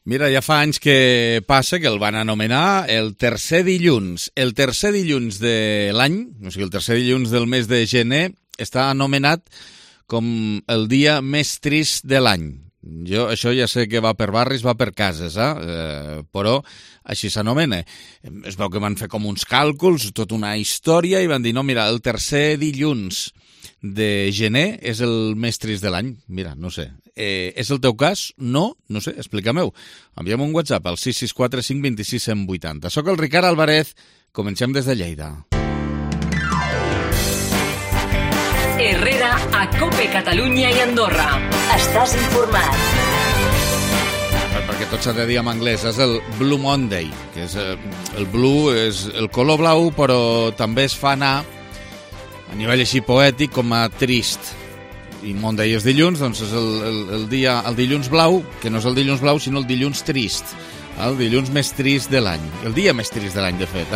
Mira, ja fa anys que passa que el van anomenar el tercer dilluns. El tercer dilluns de l'any, o sigui, el tercer dilluns del mes de gener, està anomenat com el dia més trist de l'any. Això ja sé que va per barris, va per cases, però així s'anomena. Es veu que van fer com uns càlculs, tota una història, i van dir, no, mira, el tercer dilluns de gener és el més trist de l'any. Mira, no sé. És el teu cas? No? No sé, explica-m'ho. Enviem un WhatsApp al 664 526 180. Soc el Ricard Alvarez. Comencem des de Lleida. Herrera a COPE Catalunya i Andorra. Estàs informat. Perquè tot s'ha de dir en anglès. És el Blue Monday, que és el blue, és el color blau, però també es fa anar a nivell així poètic com a trist. I Monday és dilluns, doncs és el dilluns blau, que no és el dilluns blau, sinó el dilluns trist. El dilluns més trist de l'any. El dia més trist de l'any, de fet.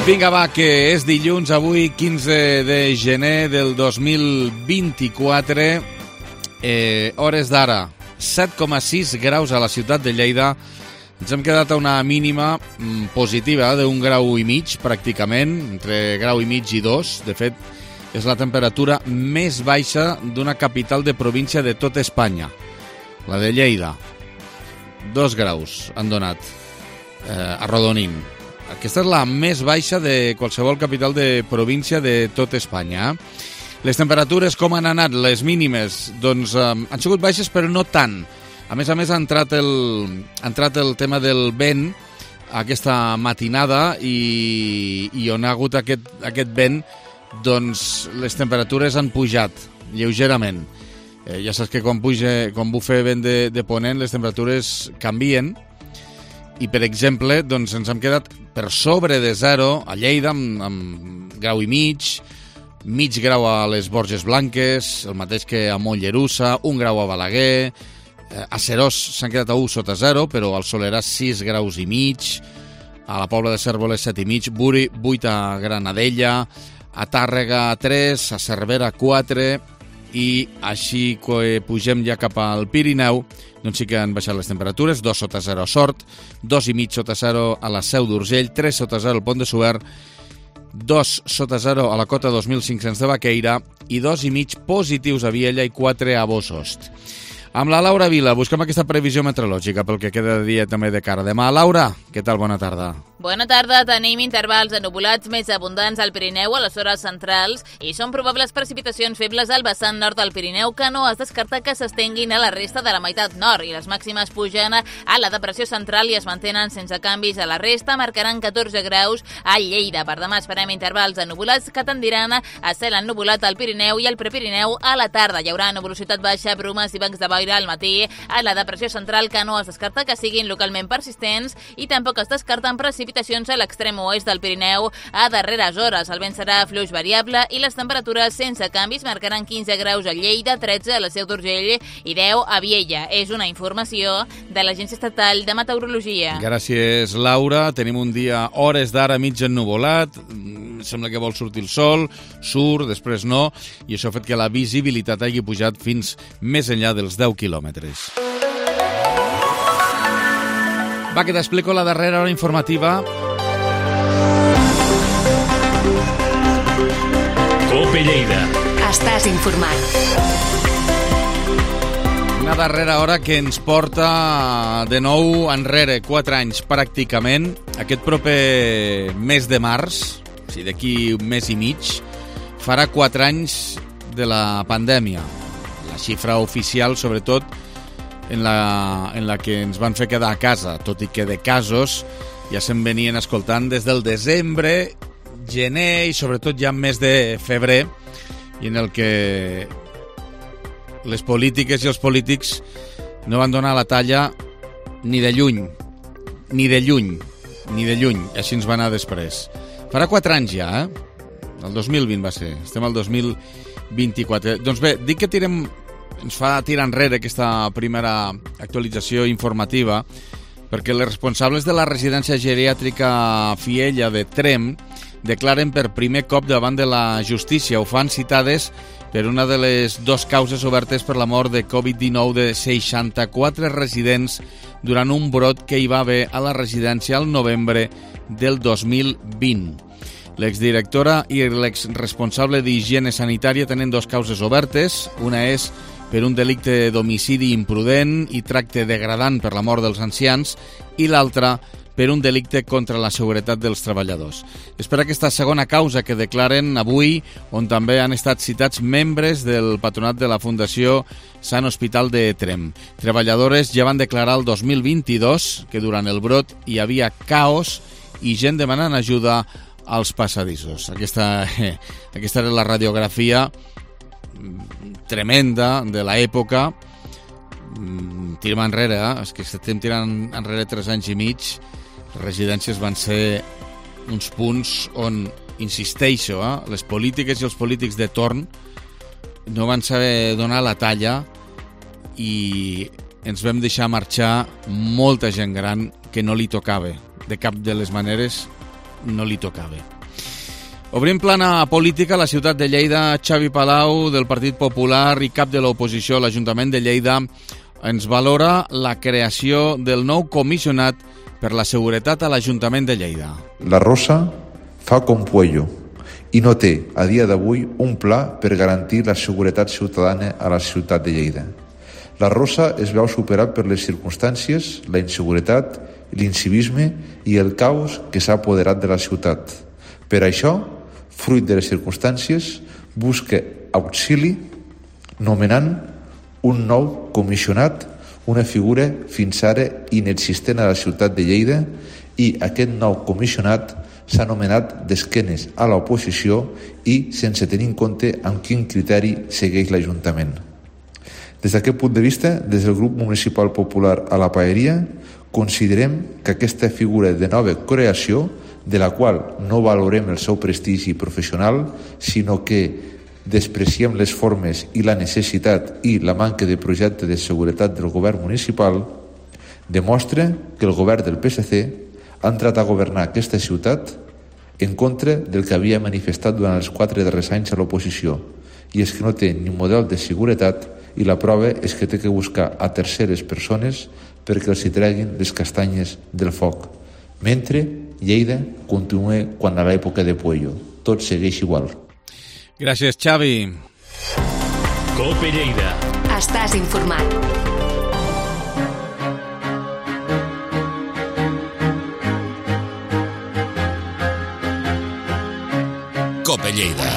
Vinga, va, que és dilluns, avui, 15 de gener del 2024. Hores d'ara, 7,6 graus a la ciutat de Lleida. Ens hem quedat a una mínima positiva d'un grau i mig, pràcticament, entre grau i mig i 2. De fet, és la temperatura més baixa d'una capital de província de tota Espanya, la de Lleida. 2 graus han donat, arrodonint. Aquesta és la més baixa de qualsevol capital de província de tota Espanya. Les temperatures, com han anat? Les mínimes, doncs, han sigut baixes, però no tant. A més, ha entrat el tema del vent aquesta matinada i on ha hagut aquest vent, doncs les temperatures han pujat lleugerament. Ja saps que quan bufa vent de ponent les temperatures canvien i, per exemple, doncs ens hem quedat per sobre de 0 a Lleida amb grau i mig grau a les Borges Blanques, el mateix que a Mollerussa, 1 grau a Balaguer, a Serós s'han quedat a 1 sota 0, però al Solerà 6 graus i mig, a la Pobla de Cérvoles 7 i mig, Buri 8 a Granadella, a Tàrrega 3, a Cervera 4, i així que pugem ja cap al Pirineu, doncs sí que han baixat les temperatures, 2 sota 0 a Sort, 2 i mig sota 0 a la Seu d'Urgell, 3 sota 0 al Pont de Suert, 2 sota 0 a la Cota 2500 de Baqueira i 2 i mig positius a Viella i 4 a Bosost. Amb la Laura Vila busquem aquesta previsió meteorològica pel que queda de dia també de cara a demà. Laura, què tal? Bona tarda. Bona tarda. Tenim intervals ennuvolats més abundants al Pirineu a les hores centrals i són probables precipitacions febles al vessant nord del Pirineu que no es descarta que s'estenguin a la resta de la meitat nord i les màximes pugen a la depressió central i es mantenen sense canvis a la resta, marcaran 14 graus a Lleida. Per demà esperem intervals ennuvolats que tendiran a cel ennuvolat al Pirineu i al Prepirineu a la tarda. Hi haurà nuvolositat baixa, brumes i bancs de boira al matí a la depressió central que no es descarta que siguin localment persistents i tampoc es descarten precipitacions a l'extrem oest del Pirineu a darreres hores. El vent serà fluix variable i les temperatures sense canvis marcaran 15 graus a Lleida, 13 a la Seu d'Urgell i 10 a Viella. És una informació de l'Agència Estatal de Meteorologia. Gràcies, Laura. Tenim un dia hores d'ara mig ennuvolat, sembla que vol sortir el sol, surt, després no, i això ha fet que la visibilitat hagi pujat fins més enllà dels 10 quilòmetres. Va, que t'explico la darrera hora informativa. COPE Lleida. Estàs informat. Una darrera hora que ens porta de nou enrere, 4 anys pràcticament. Aquest proper mes de març, o sigui, d'aquí un mes i mig, farà 4 anys de la pandèmia. La xifra oficial, sobretot, en la que ens van fer quedar a casa, tot i que de casos ja se'n venien escoltant des del desembre, gener i sobretot ja mes de febrer, i en el que les polítiques i els polítics no van donar la talla ni de lluny, i així ens va anar després. Farà 4 anys ja, el 2020 va ser, estem al 2024. Doncs bé, dic que ens fa tirar enrere aquesta primera actualització informativa perquè els responsables de la residència geriàtrica Fiella de Tremp declaren per primer cop davant de la justícia. Ho fan citades per una de les dues causes obertes per la mort de Covid-19 de 64 residents durant un brot que hi va haver a la residència al novembre del 2020. L'exdirectora i l'exresponsable d'higiene sanitària tenen dues causes obertes. Una és per un delicte d'homicidi imprudent i tracte degradant per la mort dels ancians i l'altra per un delicte contra la seguretat dels treballadors. És per aquesta segona causa que declaren avui, on també han estat citats membres del patronat de la Fundació Sant Hospital de Tremp. Treballadores ja van declarar el 2022 que durant el brot hi havia caos i gent demanant ajuda als passadissos. Aquesta era la radiografia tremenda de l'època. Tirem enrere, és que estem tirant enrere 3 anys i mig. Les residències van ser uns punts on, insisteixo, les polítiques i els polítics de torn no van saber donar la talla i ens vam deixar marxar molta gent gran que no li tocava. De cap de les maneres no li tocava. Obrim plana política a la ciutat de Lleida. Xavi Palau, del Partit Popular i cap de l'oposició a l'Ajuntament de Lleida, ens valora la creació del nou comissionat per la seguretat a l'Ajuntament de Lleida. La Rosa fa com Puello i no té, a dia d'avui, un pla per garantir la seguretat ciutadana a la ciutat de Lleida. La Rosa es veu superat per les circumstàncies, la inseguretat, l'incivisme i el caos que s'ha apoderat de la ciutat. Per això, fruit de les circumstàncies, busca auxili nomenant un nou comissionat, una figura fins ara inexistent a la ciutat de Lleida, i aquest nou comissionat s'ha anomenat d'esquenes a l'oposició i sense tenir en compte amb quin criteri segueix l'Ajuntament. Des d'aquest punt de vista, des del grup municipal popular a la Paeria, considerem que aquesta figura de nova creació, de la qual no valorem el seu prestigi professional, sinó que despreciem les formes i la necessitat i la manca de projecte de seguretat del govern municipal, demostra que el govern del PSC ha entrat a governar aquesta ciutat en contra del que havia manifestat durant els 4 darrers anys a l'oposició, i és que no té ni model de seguretat i la prova és que té que buscar a terceres persones perquè els hi treguin les castanyes del foc. Mentre Lleida continua quan a l'època de Puello. Tot segueix igual. Gràcies, Xavi. Cope Lleida. Estàs informat. Cope Lleida.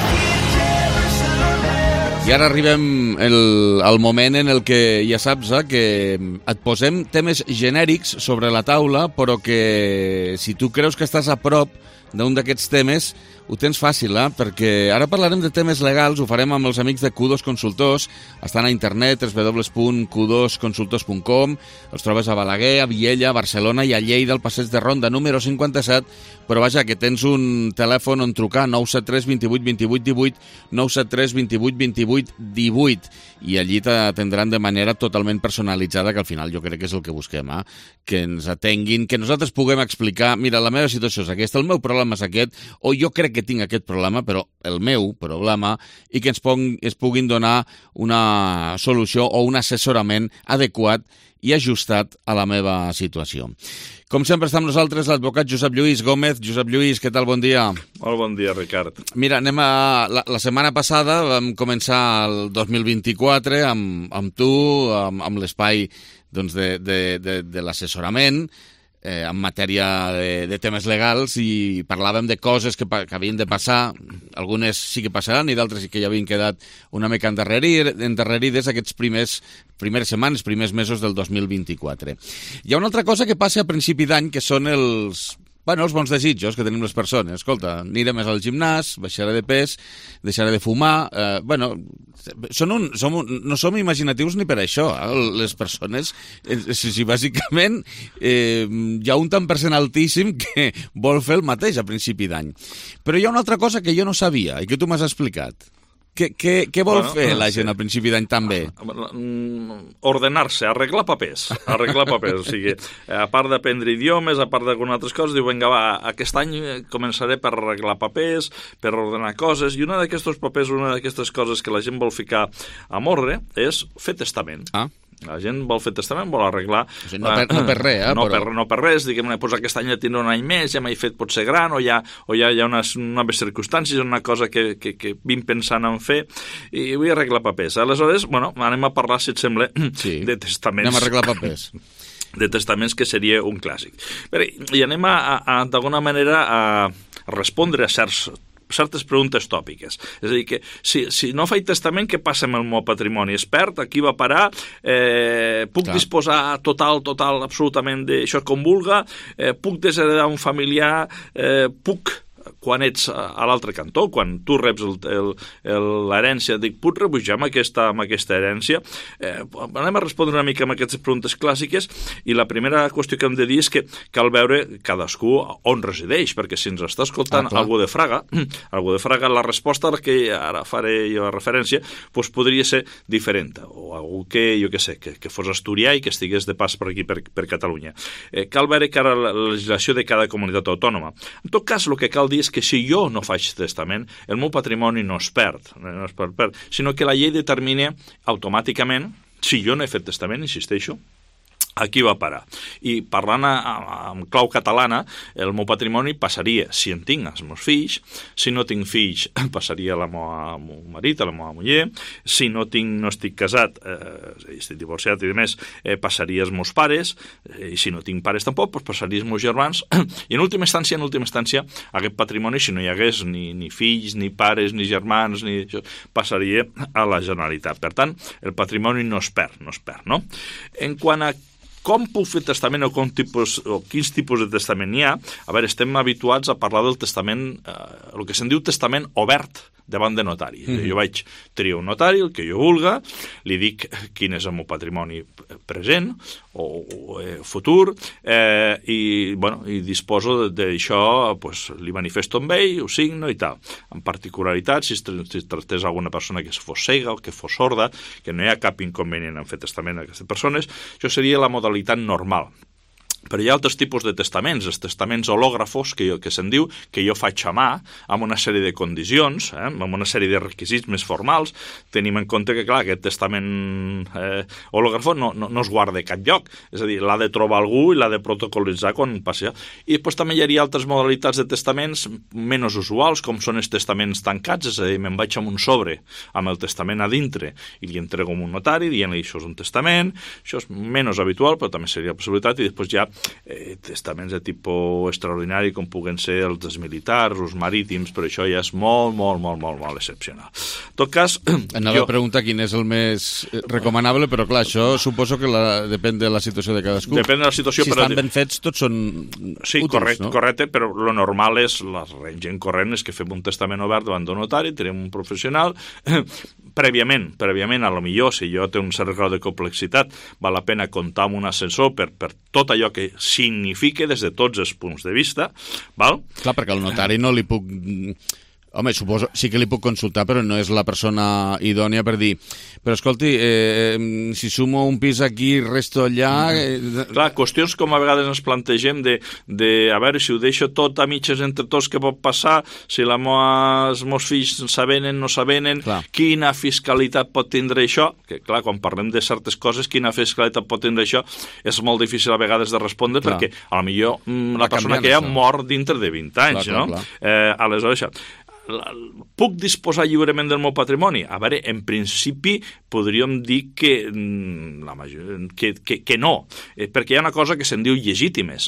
I ara arribem al moment en el que ja saps que et posem temes genèrics sobre la taula, però que si tu creus que estàs a prop d'un d'aquests temes, ho tens fàcil, perquè ara parlarem de temes legals, ho farem amb els amics de Q2 Consultors, estan a internet, www.q2consultors.com, els trobes a Balaguer, a Viella, a Barcelona i a Lleida, al passeig de Ronda número 57, però vaja, que tens un telèfon on trucar, 973 28 28 18, 973 28 28 18, i allí t'atendran de manera totalment personalitzada, que al final jo crec que és el que busquem, que ens atenguin, que nosaltres puguem explicar, mira, la meva situació és aquesta, el meu problema és aquest, o jo crec que tinc aquest problema, però el meu problema, i que es puguin donar una solució o un assessorament adequat i ajustat a la meva situació. Com sempre està amb nosaltres l'advocat Josep Lluís Gómez. Josep Lluís, què tal? Bon dia. Molt bon dia, Ricard. Mira, la setmana passada vam començar el 2024 amb tu, amb l'espai de l'assessorament, en matèria de temes legals, i parlàvem de coses que havien de passar. Algunes sí que passaran i d'altres sí que ja havien quedat una mica endarrerides aquests primeres setmanes, primers mesos del 2024. Hi ha una altra cosa que passa a principi d'any, que són els bons desitjos que tenim les persones. Escolta, aniré més al gimnàs, baixaré de pes, deixaré de fumar. No som imaginatius ni per això. Les persones, bàsicament, hi ha un tant per cent altíssim que vol fer el mateix a principi d'any. Però hi ha una altra cosa que jo no sabia i que tu m'has explicat. Què vol fer la gent al principi d'any també? Ordenar-se, arreglar papers. O sigui, a part d'aprendre idiomes, a part d'algunes altres coses, diu, vinga, va, aquest any començaré per arreglar papers, per ordenar coses, i una d'aquests papers, una d'aquestes coses que la gent vol ficar a mordre és fer testament. La gent vol fer testament, vol arreglar... O sigui, no per res, No per res, diguem-ne, doncs aquest any ja tindré un any més, ja m'he fet potser gran, o ja hi ha unes noves circumstàncies, una cosa que vinc pensant en fer, i vull arreglar papers. Aleshores, bueno, anem a parlar, si et sembla, de testaments. Anem a arreglar papers. De testaments, que seria un clàssic. I anem d'alguna manera a respondre a certes preguntes tòpiques. És a dir, que si no faig testament, què passa amb el meu patrimoni? Es perd? Aquí va parar? Puc disposar total, absolutament d'això com vulga? Puc desheredar un familiar? Quan ets a l'altre cantó, quan tu reps l'herència, dic, puc rebujar amb aquesta herència? Anem a respondre una mica amb aquestes preguntes clàssiques, i la primera qüestió que hem de dir és que cal veure cadascú on resideix, perquè si ens està escoltant algú de Fraga, la resposta a la que ara faré jo referència doncs podria ser diferent, o algú que, jo què sé, que fos asturià i que estigués de pas per aquí, per Catalunya. Cal veure que ara la legislació de cada comunitat autònoma. En tot cas, el que cal dir és que si jo no faig testament, el meu patrimoni no es perd, sinó que la llei determina automàticament, si jo no he fet testament, insisteixo, aquí va parar. I parlant amb clau catalana, el meu patrimoni passaria, si en tinc, als meus fills, si no tinc fills, passaria a la meu marit, a la meva muller, si no estic casat, estic divorciat i demés, passaria als meus pares, i si no tinc pares tampoc, passaria als meus germans, i en última instància, aquest patrimoni, si no hi hagués ni fills, ni pares, ni germans, passaria a la Generalitat. Per tant, el patrimoni no es perd, no? En quant a com puc fer testament o quins tipus de testament hi ha, a veure, estem habituats a parlar del testament, el que se'n diu testament obert davant de notari. Jo vaig triar un notari, el que jo vulga, li dic quin és el meu patrimoni present o futur, i disposo d'això, li manifesto amb ell, ho signo i tal. En particularitat, si tractés alguna persona que fos cega o que fos sorda, que no hi ha cap inconvenient en fer testament a aquestes persones, això seria la modalitat normal. Però hi ha altres tipus de testaments, els testaments hològrafos, que se'n diu, que jo faig a mà, amb una sèrie de condicions, amb una sèrie de requisits més formals. Tenim en compte que, clar, aquest testament hològrafo no es guarda a cap lloc, és a dir, l'ha de trobar algú i l'ha de protocolitzar quan passi. I després també hi hauria altres modalitats de testaments menys usuals, com són els testaments tancats, és a dir, me'n vaig amb un sobre, amb el testament a dintre, i li entrego a un notari, dient-li això és un testament, això és menys habitual, però també seria la possibilitat, i després hi ha testaments de tipus extraordinari com puguen ser els dels militars, els marítims, però això ja és molt excepcional. En tot cas... Anava a preguntar quin és el més recomanable, però clar, això suposo que depèn de la situació de cadascú. Depèn de la situació, si estan ben fets, tots són útils, no? Correcte, però lo normal és, la gent corrent és que fem un testament obert davant d'un notari, tenim un professional, prèviament, a lo millor, si jo té un cert grau de complexitat, val la pena comptar amb un assessor per tot allò que significa des de tots els punts de vista, val? Clar, perquè al notari no li puc... Home, suposo, sí que li puc consultar, però no és la persona idònia per dir, però escolti, si sumo un pis aquí, resto allà... Clar, qüestions com a vegades ens plantegem de a veure, si ho deixo tot a mitges entre tots, què pot passar, si els meus fills s'avenen, no s'avenen, quina fiscalitat pot tindre això, que clar, quan parlem de certes coses, quina fiscalitat pot tindre això, és molt difícil a vegades de respondre, perquè a lo millor la persona que hi ha mor dintre de 20 anys, no? Aleshores, això... Puc disposar lliurement del meu patrimoni? A veure, en principi podríem dir que no, perquè hi ha una cosa que se'n diu llegítimes.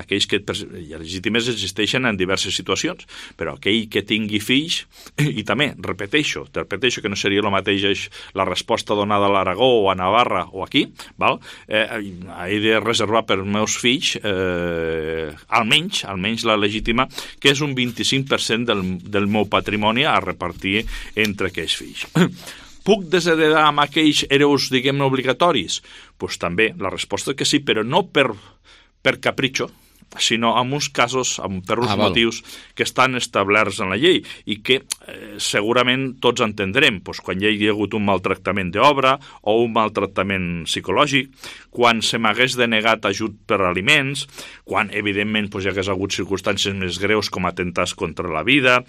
Aquells que legítimes existeixen en diverses situacions, però aquell que tingui fills, i també, repeteixo que no seria el mateix la resposta donada a l'Aragó o a Navarra o aquí, val? He de reservar per als meus fills almenys la legítima, que és un 25% del meu patrimoni a repartir entre aquells fills. Puc desheredar amb aquells hereus, diguem-ne, obligatoris? Doncs també, la resposta és que sí, però no per capritxo, sinó en uns casos, per uns motius que estan establerts en la llei i que segurament tots entendrem, doncs, quan hi ha hagut un maltractament d'obra o un maltractament psicològic, quan se m'hagués denegat ajut per aliments, quan evidentment doncs, hi hagués hagut circumstàncies més greus com atemptats contra la vida,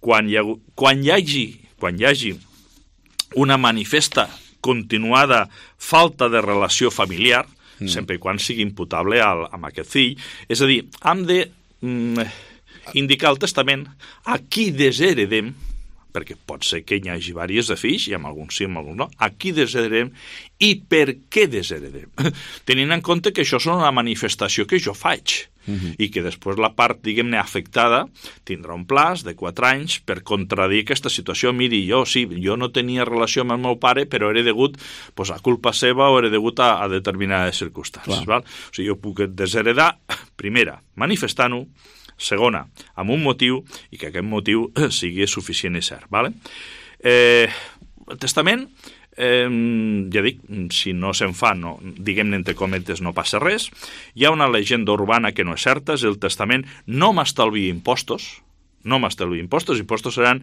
quan hi hagi una manifesta continuada falta de relació familiar, sempre i quan sigui imputable amb aquest fill. És a dir, hem de indicar al testament a qui desheredem, perquè pot ser que hi hagi diversos de fills, i amb alguns sí, amb alguns no, a qui desheredem i per què desheredem. Tenint en compte que això és una manifestació que jo faig, i que després la part, diguem-ne, afectada tindrà un plaç de 4 anys per contradir aquesta situació. Miri, jo no tenia relació amb el meu pare, però era degut a culpa seva o era degut a determinades circumstàncies. Val? O sigui, jo puc desheredar, primera, manifestant-ho, segona, amb un motiu, i que aquest motiu sigui suficient i cert. Vale? El testament, ja dic, si no se'n fa, no, diguem-ne entre cometes, no passa res. Hi ha una llegenda urbana que no és certa, és el testament no m'estalvia impostos, impostos seran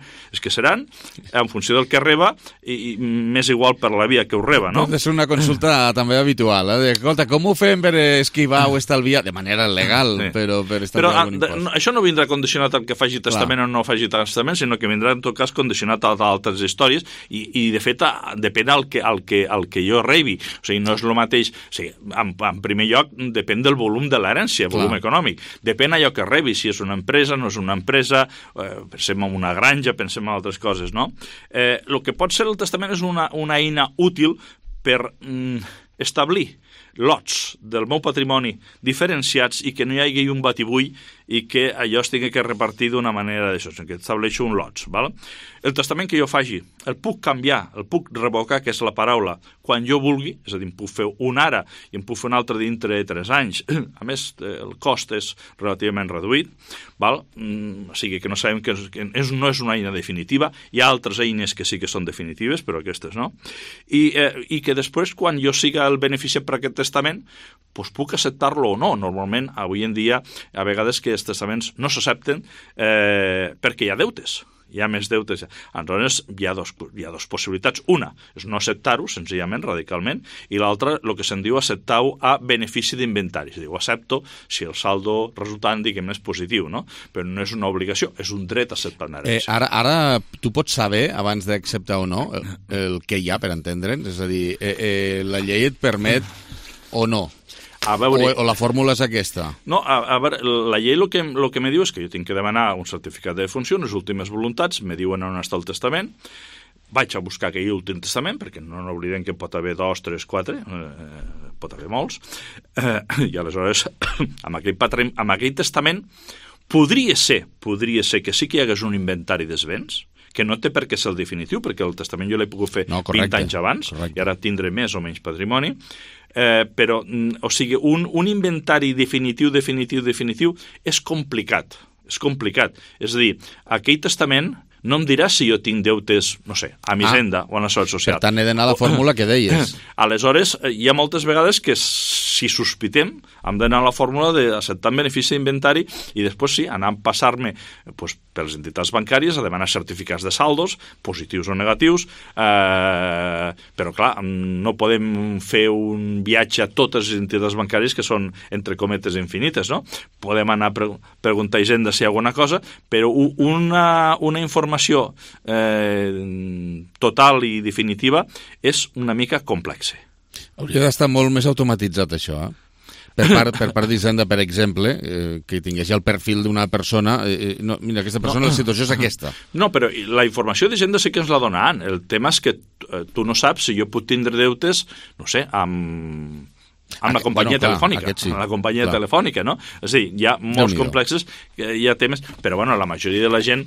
en funció del que reba i més igual per la via que ho reba, no? Pot ser una consulta també habitual, escolta, com ho fem per esquivar o estalviar, de manera legal, però per estalviar algun impost? Això no vindrà condicionat al que faci testament o no faci testament, sinó que vindrà en tot cas condicionat a altres històries i de fet depèn al que jo rebi, o sigui, no és el mateix, o sigui, en primer lloc depèn del volum de l'herència, volum econòmic, depèn allò que rebi, si és una empresa, no és una empresa, pensem en una granja, pensem en altres coses, no? El que pot ser el testament és una eina útil per establir lots del meu patrimoni diferenciats i que no hi hagi un batibull i que allò es tingui que repartir d'una manera d'això, que estableixo un lots. Val? El testament que jo faci, el puc canviar, el puc revocar, que és la paraula, quan jo vulgui, és a dir, em puc fer un ara i em puc fer un altre dintre de 3 anys. A més, el cost és relativament reduït, val? O sigui que no sabem que no és una eina definitiva, hi ha altres eines que sí que són definitives, però aquestes no, i que després, quan jo siga el beneficiat per aquest testament, doncs puc acceptar-lo o no. Normalment, avui en dia, a vegades que els testaments no s'accepten perquè hi ha deutes. Hi ha més deutes. Aleshores, hi ha dos possibilitats. Una és no acceptar-ho, senzillament, radicalment, i l'altra, el que se'n diu acceptar-ho a benefici d'inventari. És a dir, ho accepto si el saldo resultant, diguem, és positiu, no? Però no és una obligació, és un dret a acceptar una herència. Ara tu pots saber, abans d'acceptar o no, el que hi ha, per entendre'ns? És a dir, la llei et permet o no? O la fórmula és aquesta? No, a veure, la llei el que me diu és que jo tinc que demanar un certificat de defunció, les últimes voluntats, me diuen on està el testament, vaig a buscar aquell últim testament, perquè no oblidem que pot haver 2, 3, 4, pot haver molts, i aleshores, amb aquell testament, podria ser que sí que hi hagués un inventari dels béns, que no té per què ser el definitiu, perquè el testament jo l'he pogut fer 20 anys abans, i ara tindré més o menys patrimoni, però, o sigui, un inventari definitiu és complicat. És a dir, aquell testament no em dirà si jo tinc deutes, no sé, a mi Hisenda o a la Seguretat Social. Per tant, he d'anar a la fórmula que deies. Aleshores, hi ha moltes vegades que si sospitem, hem d'anar a la fórmula d'acceptar benefici d'inventari i després sí, anar a passar-me per les entitats bancàries a demanar certificats de saldos, positius o negatius, però clar, no podem fer un viatge a totes les entitats bancàries que són, entre cometes, infinites, no? Podem anar a preguntar a Hisenda si hi ha alguna cosa, però una informació total i definitiva és una mica complexa. Hauria d'estar molt més automatitzat, això, Per part d'Hisenda, per exemple, que tingués el perfil d'una persona, mira, aquesta persona, la situació és aquesta. No, però la informació d'Hisenda sí que ens la donaran. El tema és que tu no saps si jo puc tindre deutes, no sé, amb la companyia telefònica, amb la companyia telefònica, no? És a dir, hi ha molts complexes, hi ha temes, però bueno, la majoria de la gent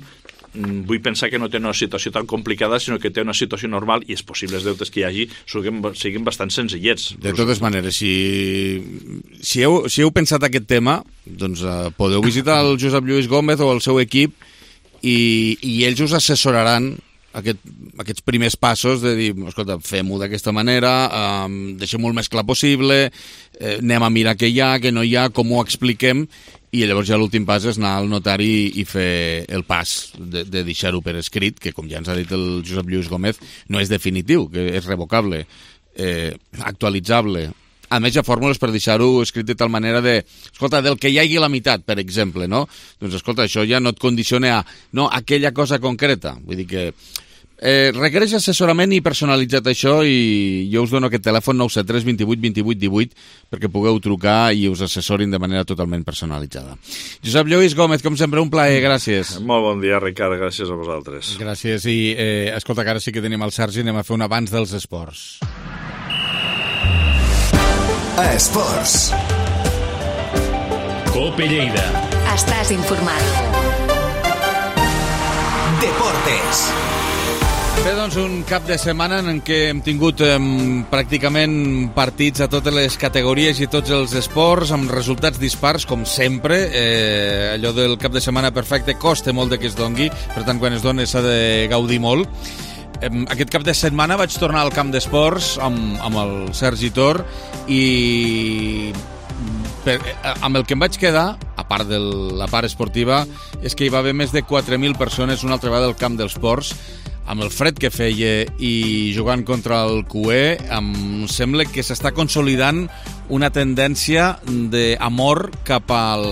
vull pensar que no té una situació tan complicada, sinó que té una situació normal i és possible els deutes que hi hagi siguin bastant senzillets. De totes maneres, si heu pensat aquest tema, doncs podeu visitar el Josep Lluís Gómez o el seu equip i ells us assessoraran aquests primers passos de dir, escolta, fem-ho d'aquesta manera, deixem-ho el més clar possible, anem a mirar què hi ha, què no hi ha, com ho expliquem, i llavors ja l'últim pas és anar al notari i fer el pas de deixar-ho per escrit, que com ja ens ha dit el Josep Lluís Gómez, no és definitiu, que és revocable, actualitzable. A més, hi ha fórmules per deixar-ho escrit de tal manera de, escolta, del que hi hagi la meitat, per exemple, no? Doncs, escolta, això ja no et condiciona a, no, aquella cosa concreta. Vull dir que requereix assessorament i personalitzat això, i jo us dono aquest telèfon 973 28 28 18 perquè pugueu trucar i us assessorin de manera totalment personalitzada. Josep Lluís Gómez, com sempre, un plaer, gràcies. Molt bon dia, Ricard, gràcies a vosaltres. Gràcies, i escolta, que ara sí que tenim el Sergi, anem a fer un abans dels esports. Esports. Cope Lleida. Estàs informat. Deportes. Bé, doncs un cap de setmana en què hem tingut pràcticament partits a totes les categories i tots els esports, amb resultats dispars, com sempre. Allò del cap de setmana perfecte costa molt que es dongui, per tant, quan es dona s'ha de gaudir molt. Aquest cap de setmana vaig tornar al camp d'esports amb el Sergi Tor i amb el que em vaig quedar, a part de la part esportiva, és que hi va haver més de 4.000 persones una altra vegada al camp dels ports, amb el fred que feia i jugant contra el QE, em sembla que s'està consolidant una tendència d'amor cap al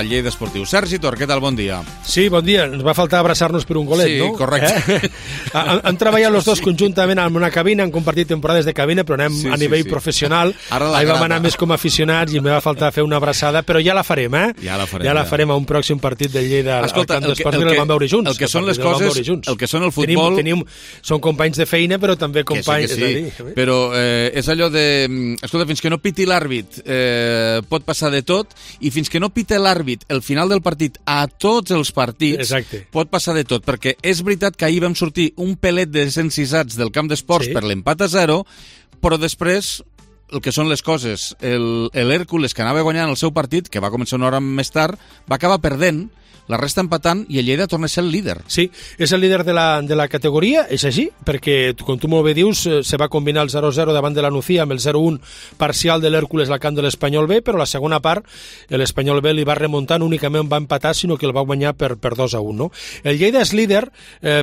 Lleida esportiu. Sergi Tor, què tal? Bon dia. Sí, bon dia. Ens va faltar abraçar-nos per un golet, sí, no? Sí, correcte. Han treballat els dos conjuntament en una cabina, han compartit temporades de cabina, però anem a nivell professional. Ahir vam anar més com aficionats i em va faltar fer una abraçada, però ja la farem, eh? Ja la farem a un pròxim partit de Lleida. Escolta, al camp d'esports, el vam veure junts. El que són les coses, el que són el futbol... Són companys de feina, però també companys... Que sí. Però és allò de... Escolta, fins que no piti l'àrbit pot passar de tot, i fins que no pita l'àrbit el final del partit a tots els partits, pot passar de tot, perquè és veritat que ahir vam sortir un pelet de desencisats del camp d'esports per l'empat a 0, però després el que són les coses, l'Hèrcules, que anava guanyant el seu partit, que va començar una hora més tard, va acabar perdent, la resta empatant, i el Lleida torna a ser el líder. Sí, és el líder de la categoria, és així, perquè, com tu molt bé dius, se va combinar el 0-0 davant de la Nucía amb el 0-1 parcial de l'Hèrcules al camp de l'Espanyol B, però la segona part l'Espanyol B li va remuntar, no únicament va empatar, sinó que el va guanyar per 2-1. No? El Lleida és líder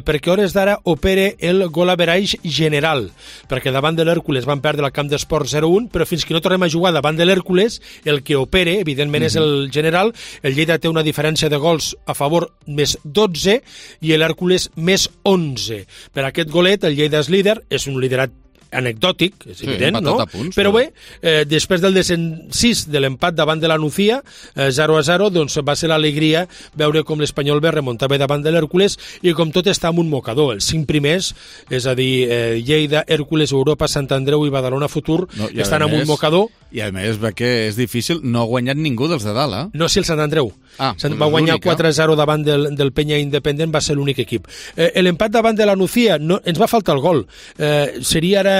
perquè a hores d'ara opera el gol average general, perquè davant de l'Hèrcules van perdre el camp d'esports 0-1, però fins que no tornem a jugar davant de l'Hèrcules, el que opera, evidentment, és el general. El Lleida té una diferència de gols a favor més 12 i l'Hèrcules més 11. Per aquest golet, el Lleida és líder, és un liderat anecdòtic, és evident, no? Punts, però bé, després del desencís de l'empat davant de la Nucía, 0-0, doncs va ser l'alegria veure com l'Espanyol B remuntava davant de l'Hèrcules, i com tot està en un mocador. Els 5 primers, és a dir, Lleida, Hèrcules, Europa, Sant Andreu i Badalona Futur, estan en un mocador. I a més, que és difícil, no ha guanyat ningú dels de dalt, eh? No, sí, el Sant Andreu. Va guanyar 4-0 davant del Penya Independent, va ser l'únic equip. L'empat davant de la Nucía, ens va faltar el gol. Seria ara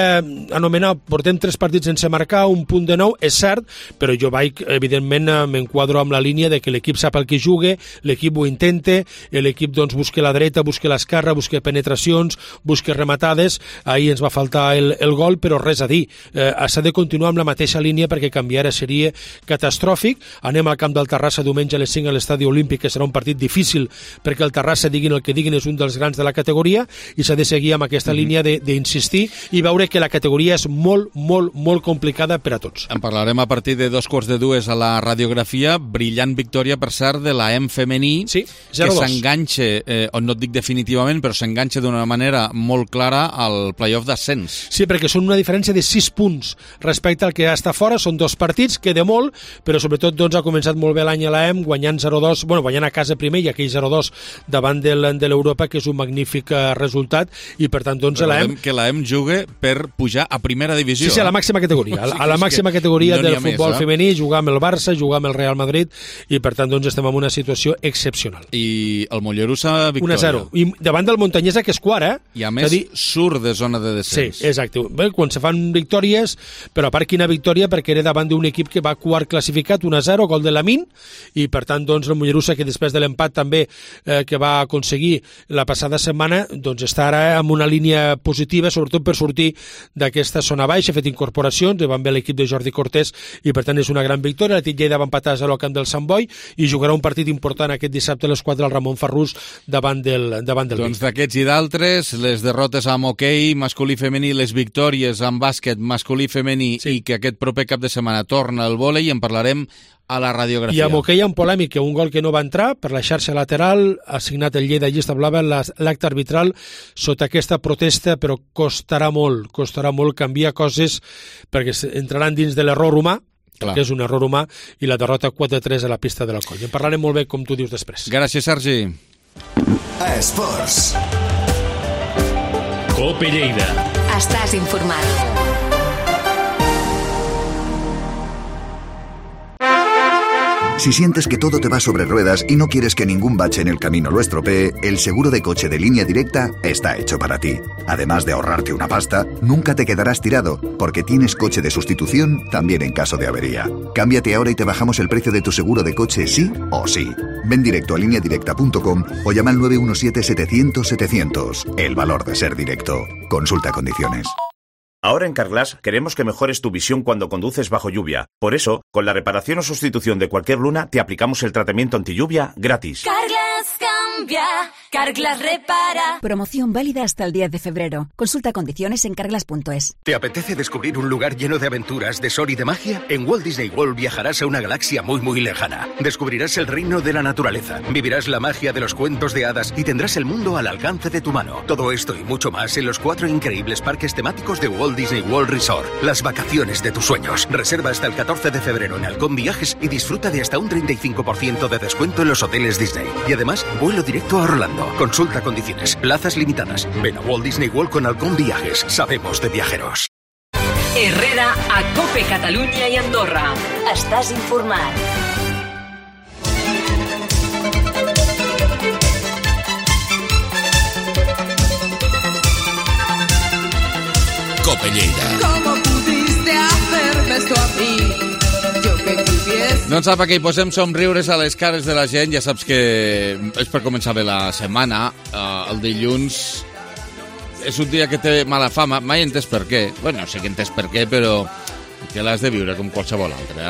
anomenar, portem 3 partits sense marcar, un punt de 9, és cert, però jo evidentment, m'enquadro amb la línia de que l'equip sap el que juga, l'equip ho intenta, l'equip doncs busca la dreta, busca l'esquerra, busca penetracions, busca rematades. Ahir ens va faltar el gol, però res a dir. S'ha de continuar amb la mateixa línia perquè canviar seria catastròfic. Anem al camp del Terrassa diumenge a les 5 a l'Estadi Olímpic, que serà un partit difícil perquè el Terrassa, diguin el que diguin, és un dels grans de la categoria, i s'ha de seguir amb aquesta línia d'insistir i veure que la categoria és molt, molt, molt complicada per a tots. En parlarem a partir de 2:45 a la radiografia. Brillant victòria, per cert, de la EM femení, sí, que s'enganxa, no et dic definitivament, però s'enganxa d'una manera molt clara al playoff d'ascens. Sí, perquè són una diferència de 6 punts respecte al que està fora. Són 2 partits, queda molt, però sobretot doncs, ha començat molt bé l'any a la EM, guanyant 0-2, guanyant a casa primer i aquell 0-2 davant de l'Europa, que és un magnífic resultat, i per tant doncs la EM... que la EM juga per pujar a primera divisió. Sí, a la màxima categoria. A la màxima categoria del futbol femení, jugar amb el Barça, jugar amb el Real Madrid, i per tant doncs estem en una situació excepcional. I el Mollerussa, victòria. 1-0. I davant del Montanyesa, que és quart, I a més surt de zona de descens. Sí, exacte. Bé, quan se fan victòries, però a part quina victòria, perquè era davant d'un equip que va quart classificat, 1-0, gol de Lamin, i per tant tant, doncs, el Mollerussa, que després de l'empat també que va aconseguir la passada setmana, doncs està ara amb una línia positiva, sobretot per sortir d'aquesta zona baixa, ha fet incorporacions, van bé l'equip de Jordi Cortés i per tant és una gran victòria. L'Atlètic Lleida va empatar al camp del Sant Boi i jugarà un partit important aquest dissabte a les 4 al Ramon Farrús davant del Doncs d'aquests i d'altres, les derrotes amb hoquei masculí i femení, les victòries amb bàsquet masculí i femení i que aquest proper cap de setmana torna al vòlei, en parlarem a la radiografia. I amb hoquei en polèmica, un gol que no va entrar per la xarxa lateral, ha signat el Lleida llista blava l'acte arbitral sota aquesta protesta, però costarà molt canviar coses perquè entraran dins de l'error humà, que és un error humà, i la derrota 4-3 a la pista de la Colla. En parlarem molt bé, com tu dius després. Gràcies, Sergi. Esports. Cope Lleida. Estàs informat. Si sientes que todo te va sobre ruedas y no quieres que ningún bache en el camino lo estropee, el seguro de coche de Línea Directa está hecho para ti. Además de ahorrarte una pasta, nunca te quedarás tirado, porque tienes coche de sustitución también en caso de avería. Cámbiate ahora y te bajamos el precio de tu seguro de coche sí o sí. Ven directo a lineadirecta.com o llama al 917-700-700. El valor de ser directo. Consulta condiciones. Ahora en Carglass queremos que mejores tu visión cuando conduces bajo lluvia. Por eso, con la reparación o sustitución de cualquier luna, te aplicamos el tratamiento antilluvia gratis. Carglass cambia, Carglass repara. Promoción válida hasta el 10 de febrero. Consulta condiciones en carglass.es. ¿Te apetece descubrir un lugar lleno de aventuras, de sol y de magia? En Walt Disney World viajarás a una galaxia muy muy lejana. Descubrirás el reino de la naturaleza, vivirás la magia de los cuentos de hadas y tendrás el mundo al alcance de tu mano. Todo esto y mucho más en los 4 increíbles parques temáticos de Walt Disney World Resort. Las vacaciones de tus sueños. Reserva hasta el 14 de febrero en Halcón Viajes y disfruta de hasta un 35% de descuento en los hoteles Disney. Y además, vuelo directo a Orlando. Consulta condiciones. Plazas limitadas. Ven a Walt Disney World con Halcón Viajes. Sabemos de viajeros. Herrera a Cope Catalunya i Andorra. Estàs informat. Cope Lleida. ¿Cómo pudiste hacerme esto a mí? Yo que tuviese... No sap que hi posem somriures a les cares de la gent. Ja saps que és per començar bé la setmana. El dilluns és un dia que té mala fama. Mai he entès per què. Bueno, sé que he entès per què, però que l'has de viure com qualsevol altre.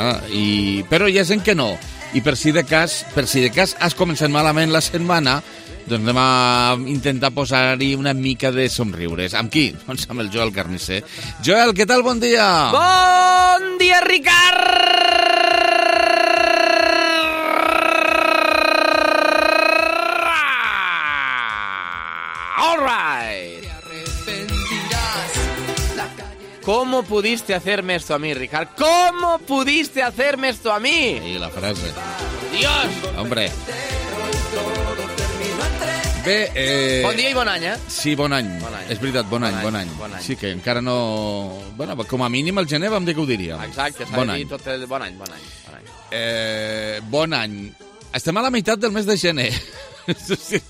Però hi ha gent que no. I per si de cas has començat malament la setmana, doncs anem a intentar posar-hi una mica de somriures. Amb qui? Doncs amb el Joel Carnisser. Joel, què tal? Bon dia! Bon dia, Ricard! All right! ¿Cómo pudiste hacerme esto a mí, Ricard? ¿Cómo pudiste hacerme esto a mí? Sí, la frase. ¡Dios! Hombre. Bé, bon dia i bon any, eh? Sí, bon any. És veritat, bon any. Sí, que encara no... Bueno, com a mínim el gener vam dir que ho diríem. Exacte, s'ha de dir tot el bon any. Bon any. Estem a la meitat del mes de gener.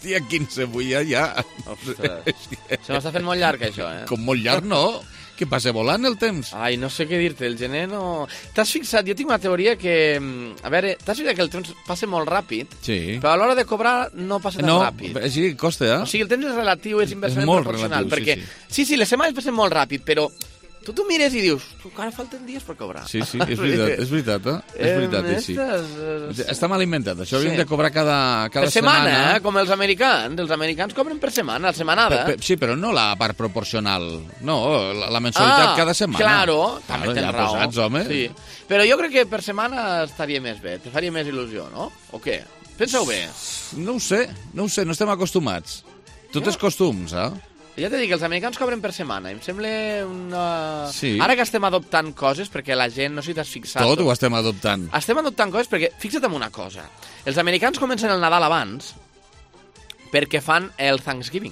Dia 15 avui ja. Ostres, se m'està fent molt llarg, això, eh? Com molt llarg, no? Que passa volant el temps. Ai, no sé què dir-te, el gener no... T'has fixat? Jo tinc una teoria que... A veure, t'has fixat que el temps passa molt ràpid, sí, però a l'hora de cobrar no passa tan ràpid. No, sí, costa, eh? O sigui, el temps és relatiu, és inversament proporcional, perquè... Sí, les setmanes passen molt ràpid, però... Tu mires i dius, encara falten dies per cobrar. Sí, és veritat, eh? És veritat, sí. Està mal inventat, això havíem de cobrar cada setmana, com els americans. Els americans cobren per setmana, setmanada. Sí, però no la part proporcional. No, la mensualitat cada setmana. Claro, també tens raó. Posats, home. Sí. Però jo crec que per setmana estaria més bé, te faria més il·lusió, no? O què? Pensa-ho bé. No ho sé, no estem acostumats. Tot és costums, eh? Ja t'he dit que els americans cobren per setmana. Em sembla una... Sí. Ara que estem adoptant coses, perquè la gent, no sé si t'has fixat... Tot ho estem adoptant. Estem adoptant coses perquè, fixa't en una cosa. Els americans comencen el Nadal abans perquè fan el Thanksgiving,